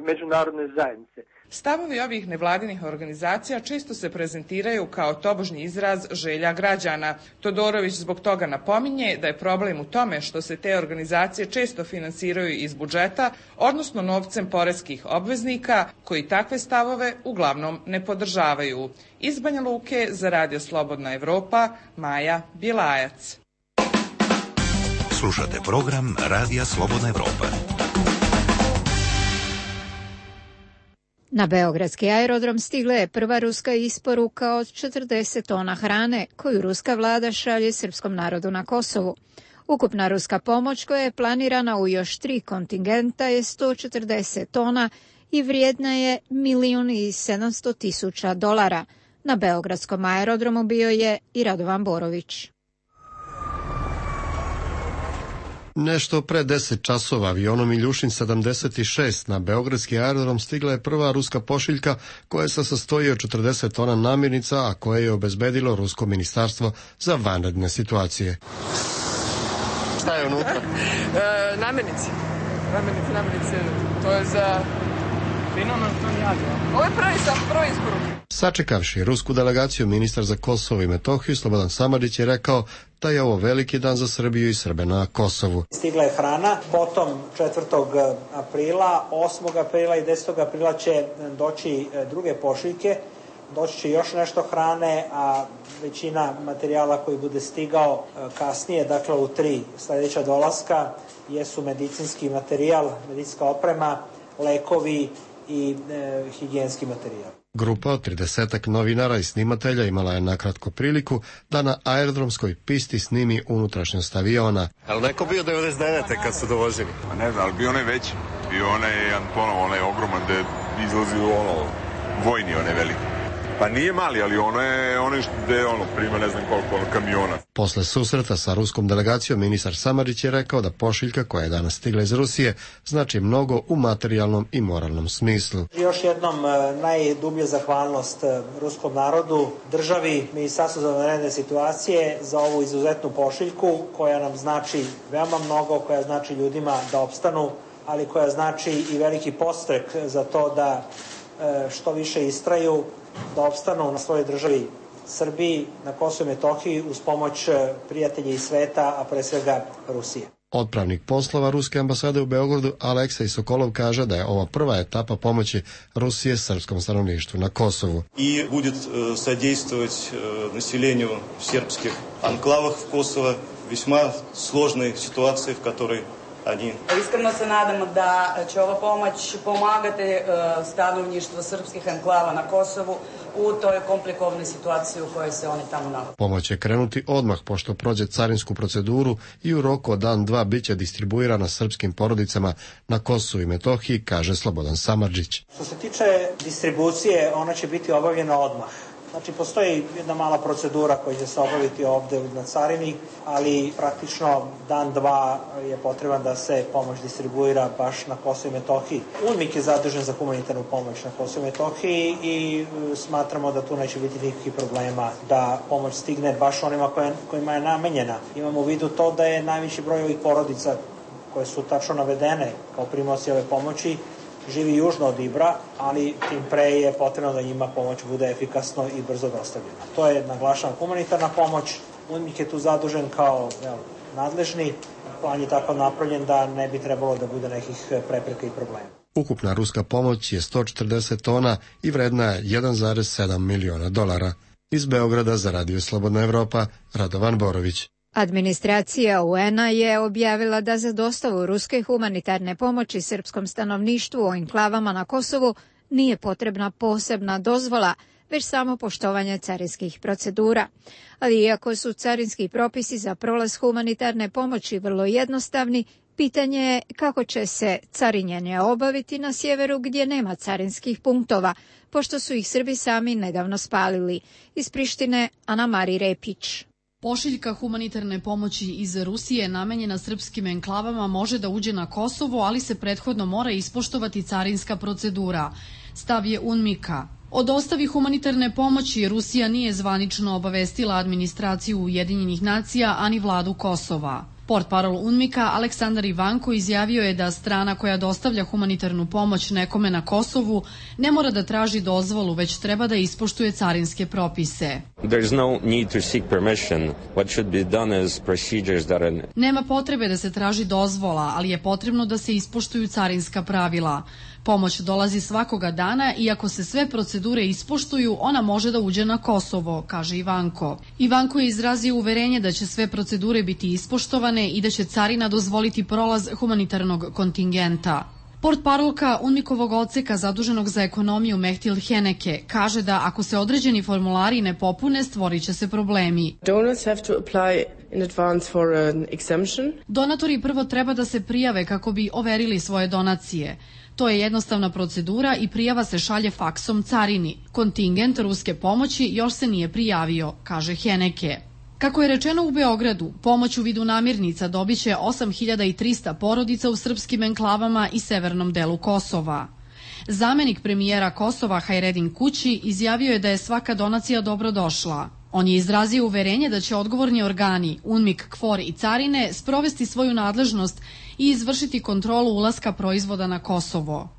međunarodne zajednice. Stavovi ovih nevladinih organizacija često se prezentiraju kao tobožnji izraz želja građana. Todorović zbog toga napominje da je problem u tome što se te organizacije često finansiraju iz budžeta, odnosno novcem poreskih obveznika, koji takve stavove uglavnom ne podržavaju. Iz Banja Luke za Radio Slobodna Evropa, Maja Bjelajac. Slušate program Radija Slobodna Evropa. Na beogradski aerodrom stigla je prva ruska isporuka od četrdeset tona hrane koju ruska vlada šalje srpskom narodu na Kosovu. Ukupna ruska pomoć koja je planirana u još tri kontingenta je sto četrdeset tona i vrijedna je milijun i sedamsto tisuća dolara. Na beogradskom aerodromu bio je i Radovan Borović. Nešto pre deset časova avionom Iljušin sedamdeset šest na beogradski aerodrom stigla je prva ruska pošiljka koja se sastoji od četrdeset tona namirnica, a koje je obezbedilo Rusko ministarstvo za vanredne situacije. Šta je unutra? e, namirnice. Namirnice, namirnice. To je za... Ovo je prvi sam, prvi isporuk. Sačekavši rusku delegaciju, ministar za Kosovo i Metohiju Slobodan Samardžić je rekao da je ovo veliki dan za Srbiju i Srbe na Kosovu. Stigla je hrana, potom četvrtog aprila, osmog aprila i desetog aprila će doći druge pošiljke, doći će još nešto hrane, a većina materijala koji bude stigao kasnije, dakle u tri sljedeća dolaska, jesu medicinski materijal, medicinska oprema, lekovi i e, higijenski materijal. Grupa od tridesetak novinara i snimatelja imala je nakratko priliku da na aerodromskoj pisti snimi unutrašnjost aviona. Ali neko bio devedeset devete kad su dovoženi? Pa ne znam, ali bio onaj veći. Bio onaj jedan ponovo, onaj ogroman da izlazi u ono, vojni onaj veliki. Pa nije mali, ali ono je, ono je ono, prima ne znam koliko ono, kamiona. Posle susreta sa ruskom delegacijom, ministar Samardžić je rekao da pošiljka koja je danas stigla iz Rusije znači mnogo u materijalnom i moralnom smislu. Još jednom najdublja zahvalnost ruskom narodu, državi, Ministarstvu za vanredne situacije za ovu izuzetnu pošiljku koja nam znači veoma mnogo, koja znači ljudima da opstanu, ali koja znači i veliki podstrek za to da što više istraju, da opstanu na svojoj državi Srbiji, na Kosovu i Metohiji uz pomoć prijatelja iz sveta, a pre svega Rusije. Odpravnik poslova Ruske ambasade u Beogradu Aleksej Sokolov kaže da je ovo prva etapa pomoći Rusije srpskom stanovništvu na Kosovu. I bude sadejstvovati naseljenju srpskih anklavah v Kosova, veoma složnoj situaciji v kojoj Ani. Iskreno se nadamo da će ova pomoć pomagati stanovništvo srpskih enklava na Kosovu u toj komplikovnoj situaciji u kojoj se oni tamo nalaze. Pomoć će krenuti odmah pošto prođe carinsku proceduru i u roku od dan dva biće distribuirana srpskim porodicama na Kosovu i Metohiji, kaže Slobodan Samardžić. Što se tiče distribucije, ona će biti obavljena odmah. Znači, postoji jedna mala procedura koja će se obaviti ovde na carini, ali praktično dan, dva je potreban da se pomoć distribuira baš na Kosovo i Metohiji. UNMIK je zadužen za humanitarnu pomoć na Kosovo i Metohiji i smatramo da tu neće biti nikakvih problema da pomoć stigne baš onima koje, kojima je namenjena. Imamo u vidu to da je najveći broj ovih porodica koje su tačno navedene kao primaoci ove pomoći živi južno od Ibra, ali tim pre je potrebno da njima pomoć bude efikasno i brzo dostavljena. To je, naglašavam, humanitarna pomoć. UNMIK je tu zadužen kao jel, nadležni. Plan je tako napravljen da ne bi trebalo da bude nekih prepreka i problema. Ukupna ruska pomoć je sto četrdeset tona i vredna je jedan zarez sedam miliona dolara. Iz Beograda za Radio Slobodna Evropa, Radovan Borović. Administracija U N-a je objavila da za dostavu ruske humanitarne pomoći srpskom stanovništvu u enklavama na Kosovu nije potrebna posebna dozvola, već samo poštovanje carinskih procedura. Ali iako su carinski propisi za prolaz humanitarne pomoći vrlo jednostavni, pitanje je kako će se carinjenje obaviti na sjeveru gdje nema carinskih punktova, pošto su ih Srbi sami nedavno spalili. Iz Prištine, Ana Mari Repić. Pošiljka humanitarne pomoći iz Rusije namenjena srpskim enklavama može da uđe na Kosovo, ali se prethodno mora ispoštovati carinska procedura. Stav je UNMIK-a. O dostavi humanitarne pomoći Rusija nije zvanično obavestila administraciju Ujedinjenih nacija, ani vladu Kosova. Portparol UNMIK-a Aleksandar Ivanko izjavio je da strana koja dostavlja humanitarnu pomoć nekome na Kosovu ne mora da traži dozvolu, već treba da ispoštuje carinske propise. Nema potrebe da se traži dozvola, ali je potrebno da se ispoštuju carinska pravila. Pomoć dolazi svakoga dana i ako se sve procedure ispoštuju, ona može da uđe na Kosovo, kaže Ivanko. Ivanko je izrazio uverenje da će sve procedure biti ispoštovane i da će carina dozvoliti prolaz humanitarnog kontingenta. Portparolka UNMIK-ovog odseka zaduženog za ekonomiju Mehtil Heneke kaže da ako se određeni formulari ne popune, stvorit će se problemi. Donatori prvo treba da se prijave kako bi overili svoje donacije. To je jednostavna procedura i prijava se šalje faksom carini. Kontingent ruske pomoći još se nije prijavio, kaže Heneke. Kako je rečeno u Beogradu, pomoć u vidu namirnica dobiće osam hiljada trista porodica u srpskim enklavama i severnom delu Kosova. Zamenik premijera Kosova Hajredin Kući izjavio je da je svaka donacija dobrodošla. On je izrazio uverenje da će odgovorni organi, UNMIK, KFOR i carine sprovesti svoju nadležnost i izvršiti kontrolu ulaska proizvoda na Kosovo.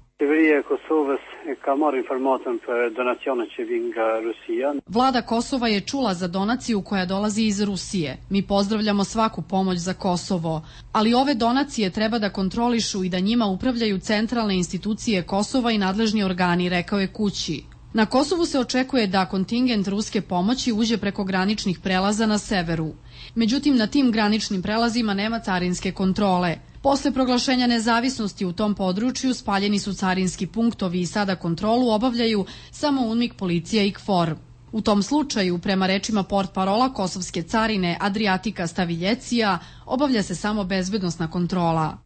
Vlada Kosova je čula za donaciju koja dolazi iz Rusije. Mi pozdravljamo svaku pomoć za Kosovo, ali ove donacije treba da kontrolišu i da njima upravljaju centralne institucije Kosova i nadležni organi, rekao je Kući. Na Kosovu se očekuje da kontingent ruske pomoći uđe preko graničnih prelaza na severu. Međutim, na tim graničnim prelazima nema carinske kontrole. Posle proglašenja nezavisnosti u tom području spaljeni su carinski punktovi i sada kontrolu obavljaju samo UNMIK, policija i KFOR. U tom slučaju, prema rečima portparola kosovske carine Adriatika Staviljecija, obavlja se samo bezbednosna kontrola.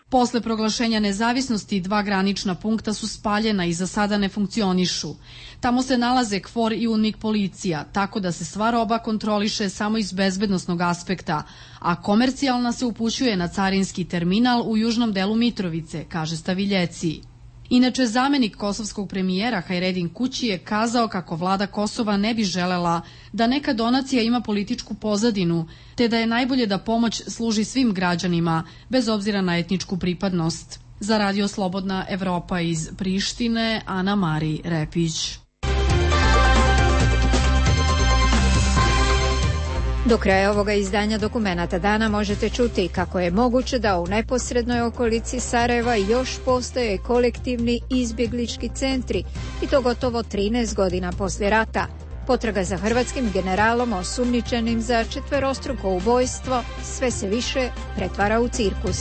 Posle proglašenja nezavisnosti dva granična punkta su spaljena i za sada ne funkcionišu. Tamo se nalaze KFOR i UNMIK policija, tako da se sva roba kontroliše samo iz bezbednosnog aspekta, a komercijalna se upućuje na carinski terminal u južnom delu Mitrovice, kaže Staviljeci. Inače, zamenik kosovskog premijera Hajredin Kući je kazao kako vlada Kosova ne bi želela da neka donacija ima političku pozadinu, te da je najbolje da pomoć služi svim građanima, bez obzira na etničku pripadnost. Za Radio Slobodna Evropa iz Prištine, Ana Mari Repić. Do kraja ovoga izdanja Dokumenata dana možete čuti kako je moguće da u neposrednoj okolici Sarajeva još postoje kolektivni izbjeglički centri i to gotovo trinaest godina poslije rata. Potraga za hrvatskim generalom osumnjičenim za četverostruko ubojstvo sve se više pretvara u cirkus.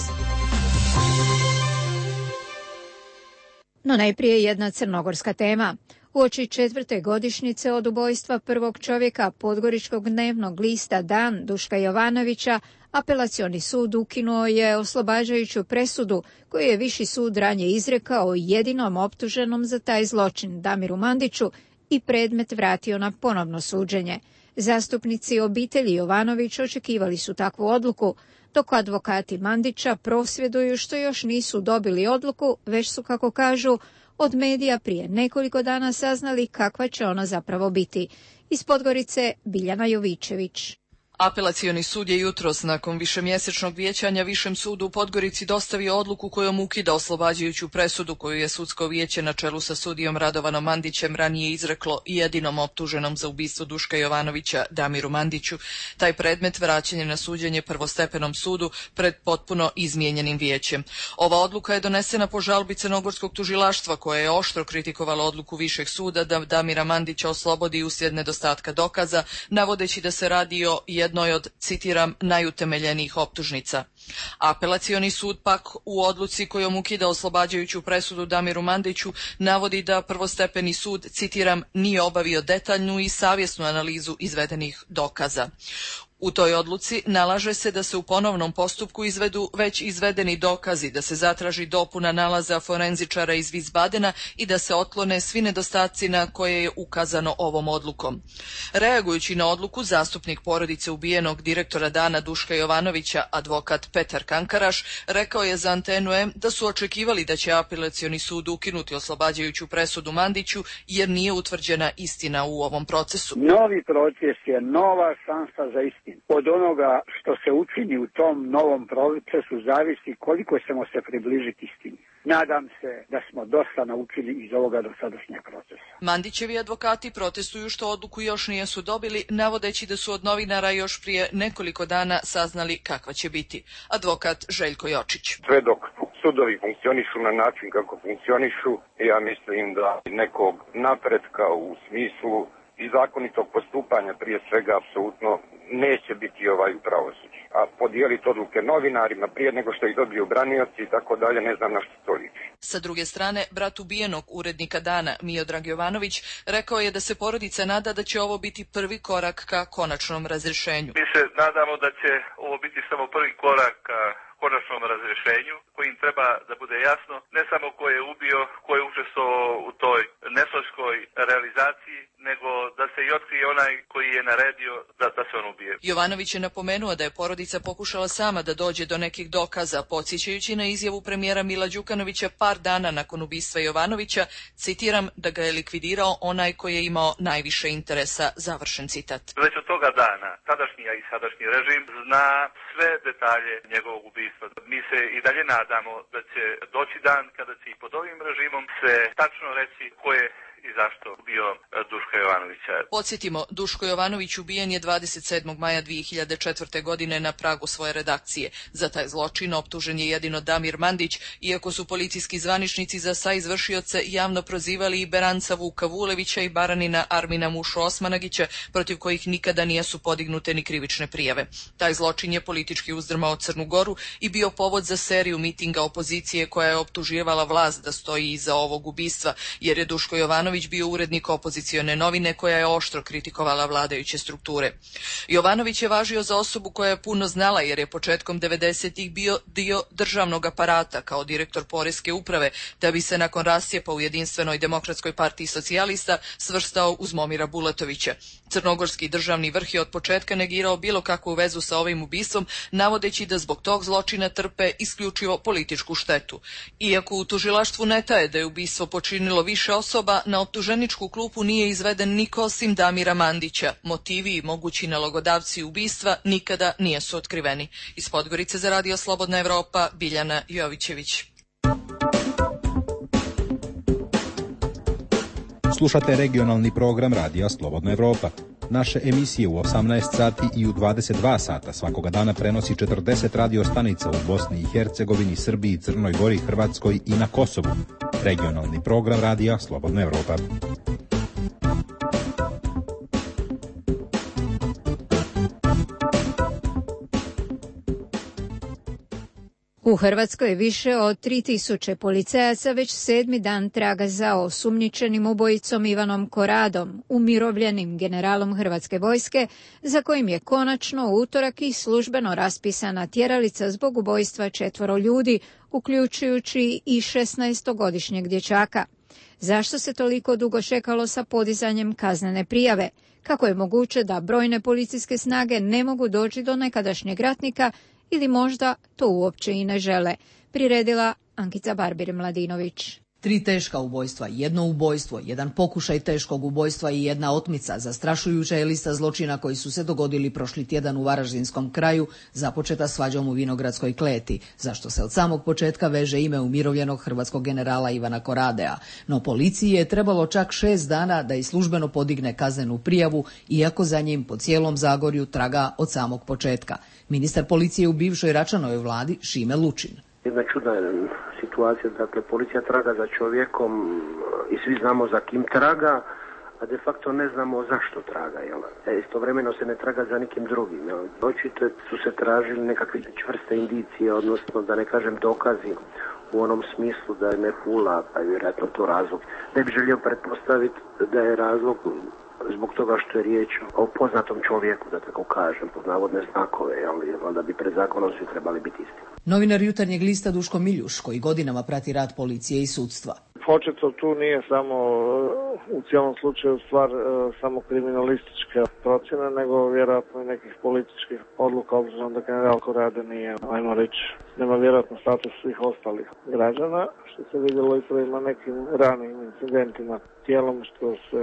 No najprije jedna crnogorska tema. Uoči četvrte godišnjice od ubojstva prvog čovjeka podgoričkog dnevnog lista Dan Duška Jovanovića, Apelacioni sud ukinuo je oslobađajuću presudu koju je Viši sud ranije izrekao jedinom optuženom za taj zločin, Damiru Mandiću, i predmet vratio na ponovno suđenje. Zastupnici obitelji Jovanović očekivali su takvu odluku, dok advokati Mandića prosvjeduju što još nisu dobili odluku, već su, kako kažu, od medija prije nekoliko dana saznali kakva će ona zapravo biti. Iz Podgorice, Biljana Jovičević. Apelacioni sud je jutros nakon višemjesečnog vijećanja Višem sudu u Podgorici dostavio odluku kojom ukida oslobađajuću presudu koju je sudsko vijeće na čelu sa sudijom Radovanom Mandićem ranije izreklo jedinom optuženom za ubistvo Duška Jovanovića, Damiru Mandiću. Taj predmet vraćen je na suđenje prvostepenom sudu pred potpuno izmijenjenim vijećem. Ova odluka je donesena po žalbi crnogorskog tužilaštva koje je oštro kritikovalo odluku Višeg suda da Damira Mandića oslobodi uslijed nedostatka dokaza, navodeći da se radi o jednoj od, citiram, najutemeljenijih optužnica. Apelacioni sud pak u odluci kojom ukida oslobađajuću presudu Damiru Mandiću navodi da prvostepeni sud, citiram, nije obavio detaljnu i savjesnu analizu izvedenih dokaza. U toj odluci nalaže se da se u ponovnom postupku izvedu već izvedeni dokazi, da se zatraži dopuna nalaza forenzičara iz Wiesbadena i da se otklone svi nedostaci na koje je ukazano ovom odlukom. Reagujući na odluku, zastupnik porodice ubijenog direktora Dana Duška Jovanovića, advokat Petar Kankaraš, rekao je za Antenu M da su očekivali da će apelacioni sud ukinuti oslobađajuću presudu Mandiću jer nije utvrđena istina u ovom procesu. Novi proces je nova šansa za istinu. Od onoga što se učini u tom novom procesu zavisi koliko ćemo se približiti istini. Nadam se da smo dosta naučili iz ovoga dosadašnjeg procesa. Mandićevi advokati protestuju što odluku još nisu dobili, navodeći da su od novinara još prije nekoliko dana saznali kakva će biti. Advokat Željko Jočić. Sve dok sudovi funkcionišu na način kako funkcionišu, ja mislim da nekog napretka u smislu i zakonitog postupanja prije svega apsolutno neće biti ovaj u pravosuđu. A podijeliti odluke novinarima prije nego što ih dobiju branioci i tako dalje, ne znam na što to liči. Sa druge strane, brat ubijenog urednika Dana, Miodrag Jovanović, rekao je da se porodica nada da će ovo biti prvi korak ka konačnom razrješenju. Mi se nadamo da će ovo biti samo prvi korak ka konačnom razrješenju, kojim treba da bude jasno ne samo ko je ubio, ko je učestvovao u toj nesloškoj realizaciji, nego da se i otkrije onaj koji je naredio da, da se on ubije. Jovanović je napomenuo da je porodica pokušala sama da dođe do nekih dokaza, podsjećajući na izjavu premijera Mila Đukanovića par dana nakon ubistva Jovanovića, citiram, da ga je likvidirao onaj koji je imao najviše interesa, završen citat. Već od toga dana, tadašnji i sadašnji režim zna sve detalje njegovog ubistva. Mi se i dalje nadamo da će doći dan kada će i pod ovim režimom se tačno reći ko je i zašto bio Duško Jovanovića. Podsjetimo, Duško Jovanović ubijen je dvadeset sedmog maja dvije hiljade četvrte. godine na pragu svoje redakcije. Za taj zločin optužen je jedino Damir Mandić, iako su policijski zvaničnici za saizvršioce javno prozivali i Beranca Vuka Vulevića i Baranina Armina Mušu Osmanagića, protiv kojih nikada nijesu podignute ni krivične prijave. Taj zločin je politički uzdrmao Crnu Goru i bio povod za seriju mitinga opozicije koja je optuživala vlast da stoji iza ovog ubistva, jer je Duško Jovanović bio urednik opozicione novine koja je oštro kritikovala vladajuće strukture. Jovanović je važio za osobu koja je puno znala jer je početkom devedesetih bio dio državnog aparata kao direktor poreske uprave, da bi se nakon rascijepa u Jedinstvenoj demokratskoj partiji socijalista svrstao uz Momira Bulatovića. Crnogorski državni vrh je od početka negirao bilo kakvu vezu sa ovim ubistvom, navodeći da zbog tog zločina trpe isključivo političku štetu. Iako u tužilaštvu ne taje da je ubistvo počinilo više osoba, na optuženičku klupu nije izveden niko osim Damira Mandića. Motivi i mogući nalogodavci ubistva nikada nijesu otkriveni. Iz Podgorice za Radio Slobodna Evropa, Biljana Jovićević. Slušate regionalni program Radija Slobodna Evropa. Naše emisije u osamnaest sati i u dvadeset dva sata svakoga dana prenosi četrdeset radio stanica u Bosni i Hercegovini, Srbiji, Crnoj Gori, Hrvatskoj i na Kosovu. Regionalni program Radija Slobodna Evropa. U Hrvatskoj je više od tri tisuće policajaca već sedmi dan traga za osumnjičenim ubojicom Ivanom Koradom, umirovljenim generalom Hrvatske vojske, za kojim je konačno u utorak i službeno raspisana tjeralica zbog ubojstva četvoro ljudi, uključujući i šesnaestogodišnjeg dječaka. Zašto se toliko dugo čekalo sa podizanjem kaznene prijave? Kako je moguće da brojne policijske snage ne mogu doći do nekadašnjeg ratnika ili možda to uopće i ne žele? Priredila Ankica Barbir-Mladinović. Tri teška ubojstva, jedno ubojstvo, jedan pokušaj teškog ubojstva i jedna otmica. Zastrašujuća je lista zločina koji su se dogodili prošli tjedan u Varaždinskom kraju, započeta svađom u Vinogradskoj kleti, zašto se od samog početka veže ime umirovljenog hrvatskog generala Ivana Koradea. No policiji je trebalo čak šest dana da i službeno podigne kaznenu prijavu, iako za njim po cijelom Zagorju traga od samog početka. Ministar policije u bivšoj Račanovoj vladi Šime Lučin. Jedna čudna situacija, dakle policija traga za čovjekom i svi znamo za kim traga, a de facto ne znamo zašto traga. Jel? E, istovremeno se ne traga za nikim drugim. Jel? Očito su se tražili nekakve čvrste indicije, odnosno da ne kažem dokazi u onom smislu da je ne pula, pa je vjerojatno to razlog. Ne bi želio pretpostaviti da je razlog zbog toga što je riječ o poznatom čovjeku, da tako kažem, pod navodne znakove, ali onda bi pred zakonom svi trebali biti isti. Novinar Jutarnjeg lista Duško Miljuš, koji godinama prati rad policije i sudstva. Očito tu nije samo u cijelom slučaju stvar samo kriminalističke procjene, nego vjerojatno i nekih političkih odluka, obzirom da general Korade nije, ajmo reći, nema vjerojatno status svih ostalih građana, što se vidjelo i prema nekim ranim incidentima, dijelom što se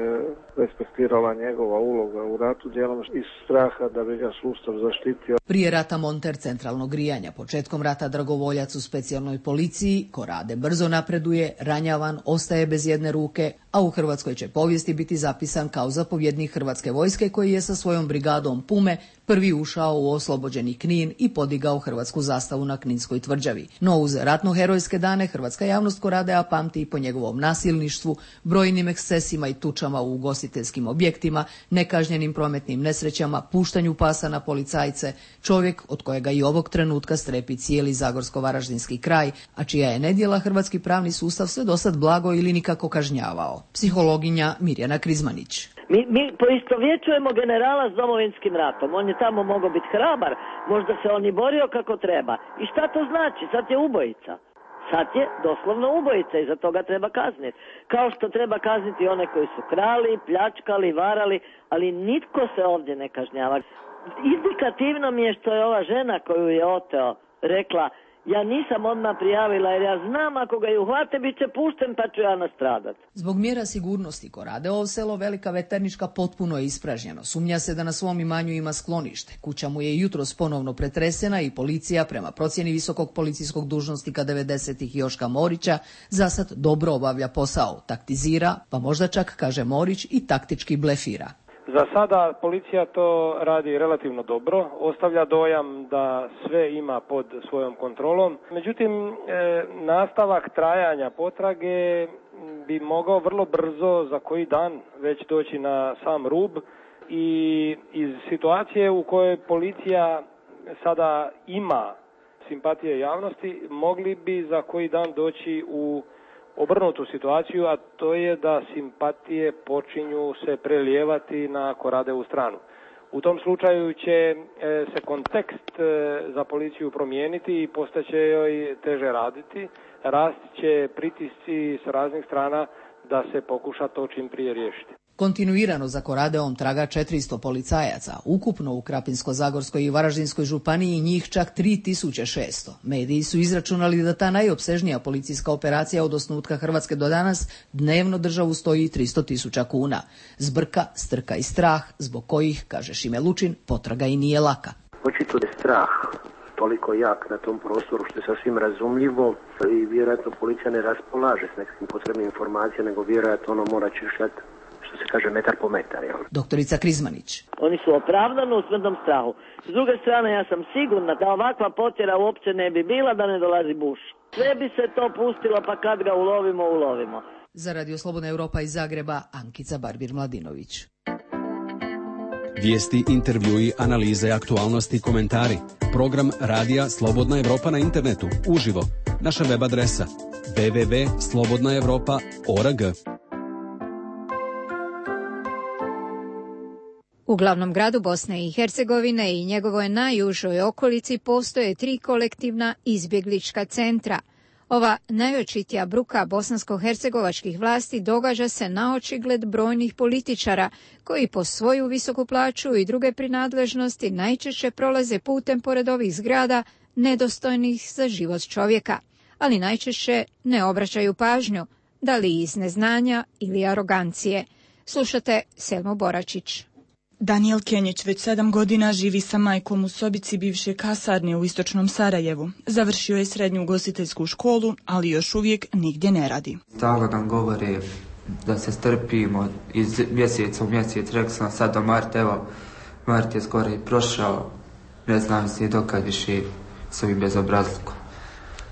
respektirala njegova uloga u ratu, dijelom iz straha da bi ga sustav zaštitio. Prije rata monter centralnog grijanja, početkom rata dragovoljac u specijalnoj policiji, Korade brzo napreduje, ranjavan, ostaje bez jedne ruke, a u hrvatskoj će povijesti biti zapisan kao zapovjednik Hrvatske vojske koji je sa svojom brigadom Pume prvi ušao u oslobođeni Knin i podigao hrvatsku zastavu na Kninskoj tvrđavi. No uz ratno-herojske dane hrvatska javnost Koradea pamti i po njegovom nasilništvu, brojnim ekscesima i tučama u ugostiteljskim objektima, nekažnjenim prometnim nesrećama, puštanju pasa na policajce, čovjek od kojega i ovog trenutka strepi cijeli zagorsko-varaždinski kraj, a čija je nedjela hrvatski pravni sustav sve dosad blago ili nikako kažnjavao. Psihologinja Mirjana Krizmanić. Mi, mi poistovjećujemo generala s Domovinskim ratom. On je tamo mogao biti hrabar, možda se on i borio kako treba. I šta to znači? Sad je ubojica. Sad je doslovno ubojica i za toga treba kazniti. Kao što treba kazniti one koji su krali, pljačkali, varali, ali nitko se ovdje ne kažnjava. Indikativno mi je što je ova žena koju je oteo rekla: ja nisam odmah prijavila jer ja znam ako ga ju uhvate bit će pušten pa ću ja nastradat. Zbog mjera sigurnosti Koradeovo selo Velika Veternička potpuno je ispražnjeno. Sumnja se da na svom imanju ima sklonište. Kuća mu je jutros ponovno pretresena i policija, prema procjeni visokog policijskog dužnosnika devedesetih Joška Morića, zasad dobro obavlja posao, taktizira, pa možda čak, kaže Morić, i taktički blefira. Za sada policija to radi relativno dobro, ostavlja dojam da sve ima pod svojom kontrolom. Međutim, e, nastavak trajanja potrage bi mogao vrlo brzo za koji dan već doći na sam rub i iz situacije u kojoj policija sada ima simpatije javnosti, mogli bi za koji dan doći u obrnutu situaciju, a to je da simpatije počinju se prelijevati na Koradevu stranu. U tom slučaju će e, se kontekst e, za policiju promijeniti i postaće joj teže raditi. Rast će pritisci s raznih strana da se pokuša to čim prije riješiti. Kontinuirano za Koradeom traga četiristo policajaca, ukupno u Krapinsko-zagorskoj i Varaždinskoj županiji njih čak tri tisuće šesto. Mediji su izračunali da ta najopsežnija policijska operacija od osnutka Hrvatske do danas dnevno državu stoji tristo tisuća kuna. Zbrka, strka i strah, zbog kojih, kaže Šime Lučin, potraga i nije laka. Očito je strah toliko jak na tom prostoru što je sasvim razumljivo i vjerojatno policija ne raspolaže s nekim potrebnim informacijama, nego vjerojatno ono mora češljati, što se kaže, metar po metar. Jel? Doktorica Krizmanić. Oni su opravdano u smrtnom strahu. S druge strane, ja sam sigurna da ovakva potjera uopće ne bi bila da ne dolazi Bush. Sve bi se to pustilo, pa kad ga ulovimo, ulovimo. Za Radio Slobodna Europa iz Zagreba, Ankica Barbir-Mladinović. Vijesti, intervjui, analize, aktualnosti, komentari. program Radija Slobodna Evropa na internetu, uživo. Naša web adresa w w w tačka slobodna evropa tačka org. U glavnom gradu Bosne i Hercegovine i njegovoj najužoj okolici postoje tri kolektivna izbjeglička centra. Ova najočitija bruka bosansko-hercegovačkih vlasti događa se na očigled brojnih političara koji po svoju visoku plaću i druge prinadležnosti najčešće prolaze putem pored ovih zgrada nedostojnih za život čovjeka, ali najčešće ne obraćaju pažnju, da li iz neznanja ili arogancije. Slušate Selmu Boračić. Danijel Kenjić već sedam godina živi sa majkom u sobici bivše kasarne u istočnom Sarajevu. Završio je srednju ugostiteljsku školu, ali još uvijek nigdje ne radi. Stalno nam govore da se strpimo iz mjeseca u mjesec. Rekao sam sad do Marta, evo, Mart je skoro i prošao. Ne znam se dokad više s ovim bezobrazlukom.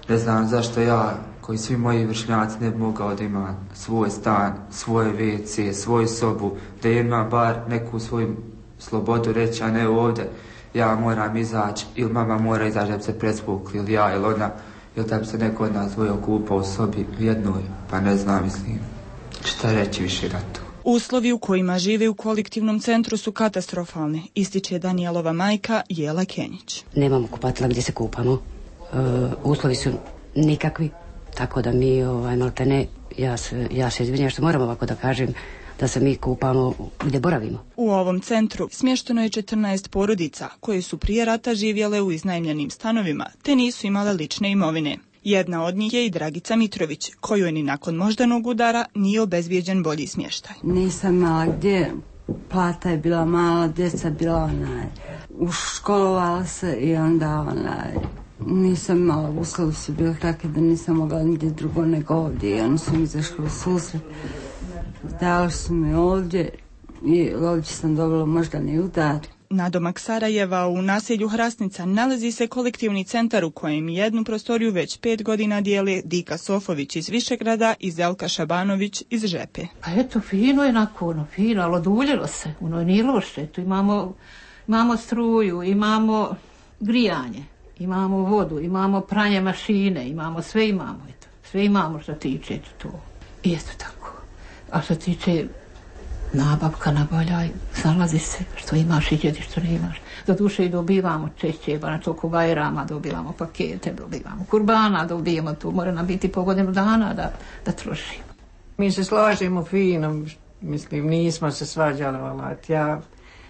Ne znam zašto ja, koji svi moji vršnjaci, ne bi mogao da ima svoj stan, svoje ve ce, svoju sobu, da ima bar neku svoju slobodu reći, a ne ovdje ja moram izaći ili mama mora izaći da bi se presvukli ili ja ili ona, ili da bi se neko od nas dvoje okupao u sobi jednoj, pa ne znam, mislim, šta reći više na to. Uslovi u kojima žive u kolektivnom centru su katastrofalni, ističe Danijelova majka Jela Kenjić. Nemamo kupatila gdje se kupamo, uh, uslovi su nikakvi. Tako da mi, ovaj, maltene, ja se, ja se izvinjam što moram ovako da kažem, da se mi kupamo gdje boravimo. U ovom centru smješteno je četrnaest porodica koje su prije rata živjele u iznajmljenim stanovima, te nisu imale lične imovine. Jedna od njih je i Dragica Mitrović, koju je ni nakon moždanog udara nije obezbijeđen bolji smještaj. Nisam imala gdje, plata je bila mala, djeca bila onaj, uškolovala se i onda onaj... Nisam imala, uslovi su bili takve da nisam mogla nigdje drugo nego ovdje i oni su mi izašli u susret. Dali su mi ovdje i ovdje sam dobila moždani udar. Nadomak Sarajeva u naselju Hrasnica nalazi se kolektivni centar u kojem jednu prostoriju već pet godina dijele Dika Sofović iz Višegrada i Zelka Šabanović iz Žepe. Pa eto, fino je nakon, fino, ali oduljilo se, ono nije loše. Tu imamo, imamo struju, imamo grijanje. Imamo vodu, imamo pranje mašine, imamo sve imamo, eto. Sve imamo što tiče to. I eto tako. A što tiče nabavka naboljaj, snalazi se što imaš i djedi što ne imaš. Do duše i dobivamo češće, ba na toliko bajrama dobivamo pakete, dobivamo kurbana, dobijemo tu, mora nam biti po godinu dana da, da trošimo. Mi se slažemo fino, mislim, nismo se svađali, valat. Ja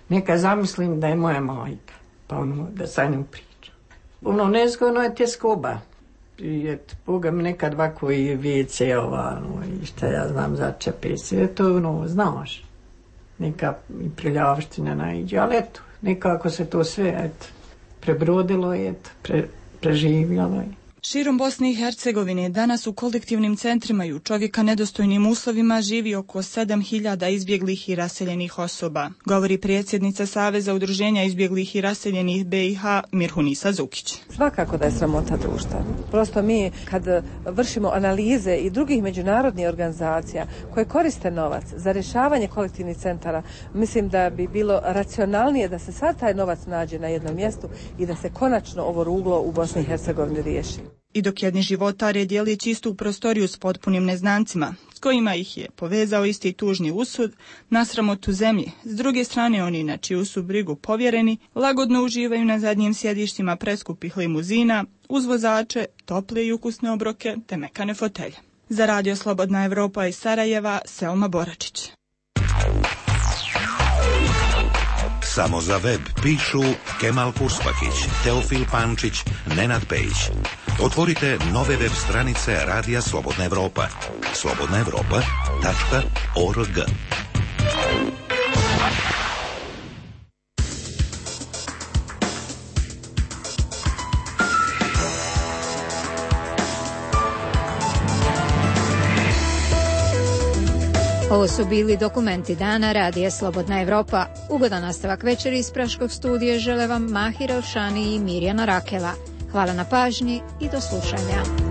neka zamislim da je moja majka, pa ono, da sa njom pričam. Ono nezgodno je tjeskoba. I et, Boga mi nekad ovako i vice, ovano, i šta ja znam, začepe sve to, ono, znaš. Neka i priljavština naiđe, ali eto, nekako se to sve, eto, prebrodilo i eto, pre, preživjelo je. Širom Bosne i Hercegovine danas u kolektivnim centrima i u čovjeka nedostojnim uslovima živi oko sedam hiljada izbjeglih i raseljenih osoba, govori predsjednica Saveza udruženja izbjeglih i raseljenih be i ha Mirhunisa Zukić. Svakako da je sramota društva. Prosto mi kad vršimo analize i drugih međunarodnih organizacija koje koriste novac za rješavanje kolektivnih centara, mislim da bi bilo racionalnije da se sad taj novac nađe na jednom mjestu i da se konačno ovo ruglo u Bosni i Hercegovini riješi. I dok jedni životare dijeli čistu prostoriju s potpunim neznancima, s kojima ih je povezao isti tužni usud, na sramotu zemlji, s druge strane oni na čiju su brigu povjereni, lagodno uživaju na zadnjim sjedištima preskupih limuzina, uz vozače, tople i ukusne obroke te mekane fotelje. Za Radio Slobodna Evropa iz Sarajeva, Selma Boračić. Samo za web pišu Kemal Kurspahić, Teofil Pančić, Nenad Pejić. Otvorite nove web stranice Radija Slobodna Evropa. slobodna evropa tačka org. Ovo su bili dokumenti dana Radija Slobodna Evropa. Ugodan nastavak večeri iz Praškog studija žele vam Mahira Ošani i Mirjana Rakela. Hvala na pažnji i do slušanja.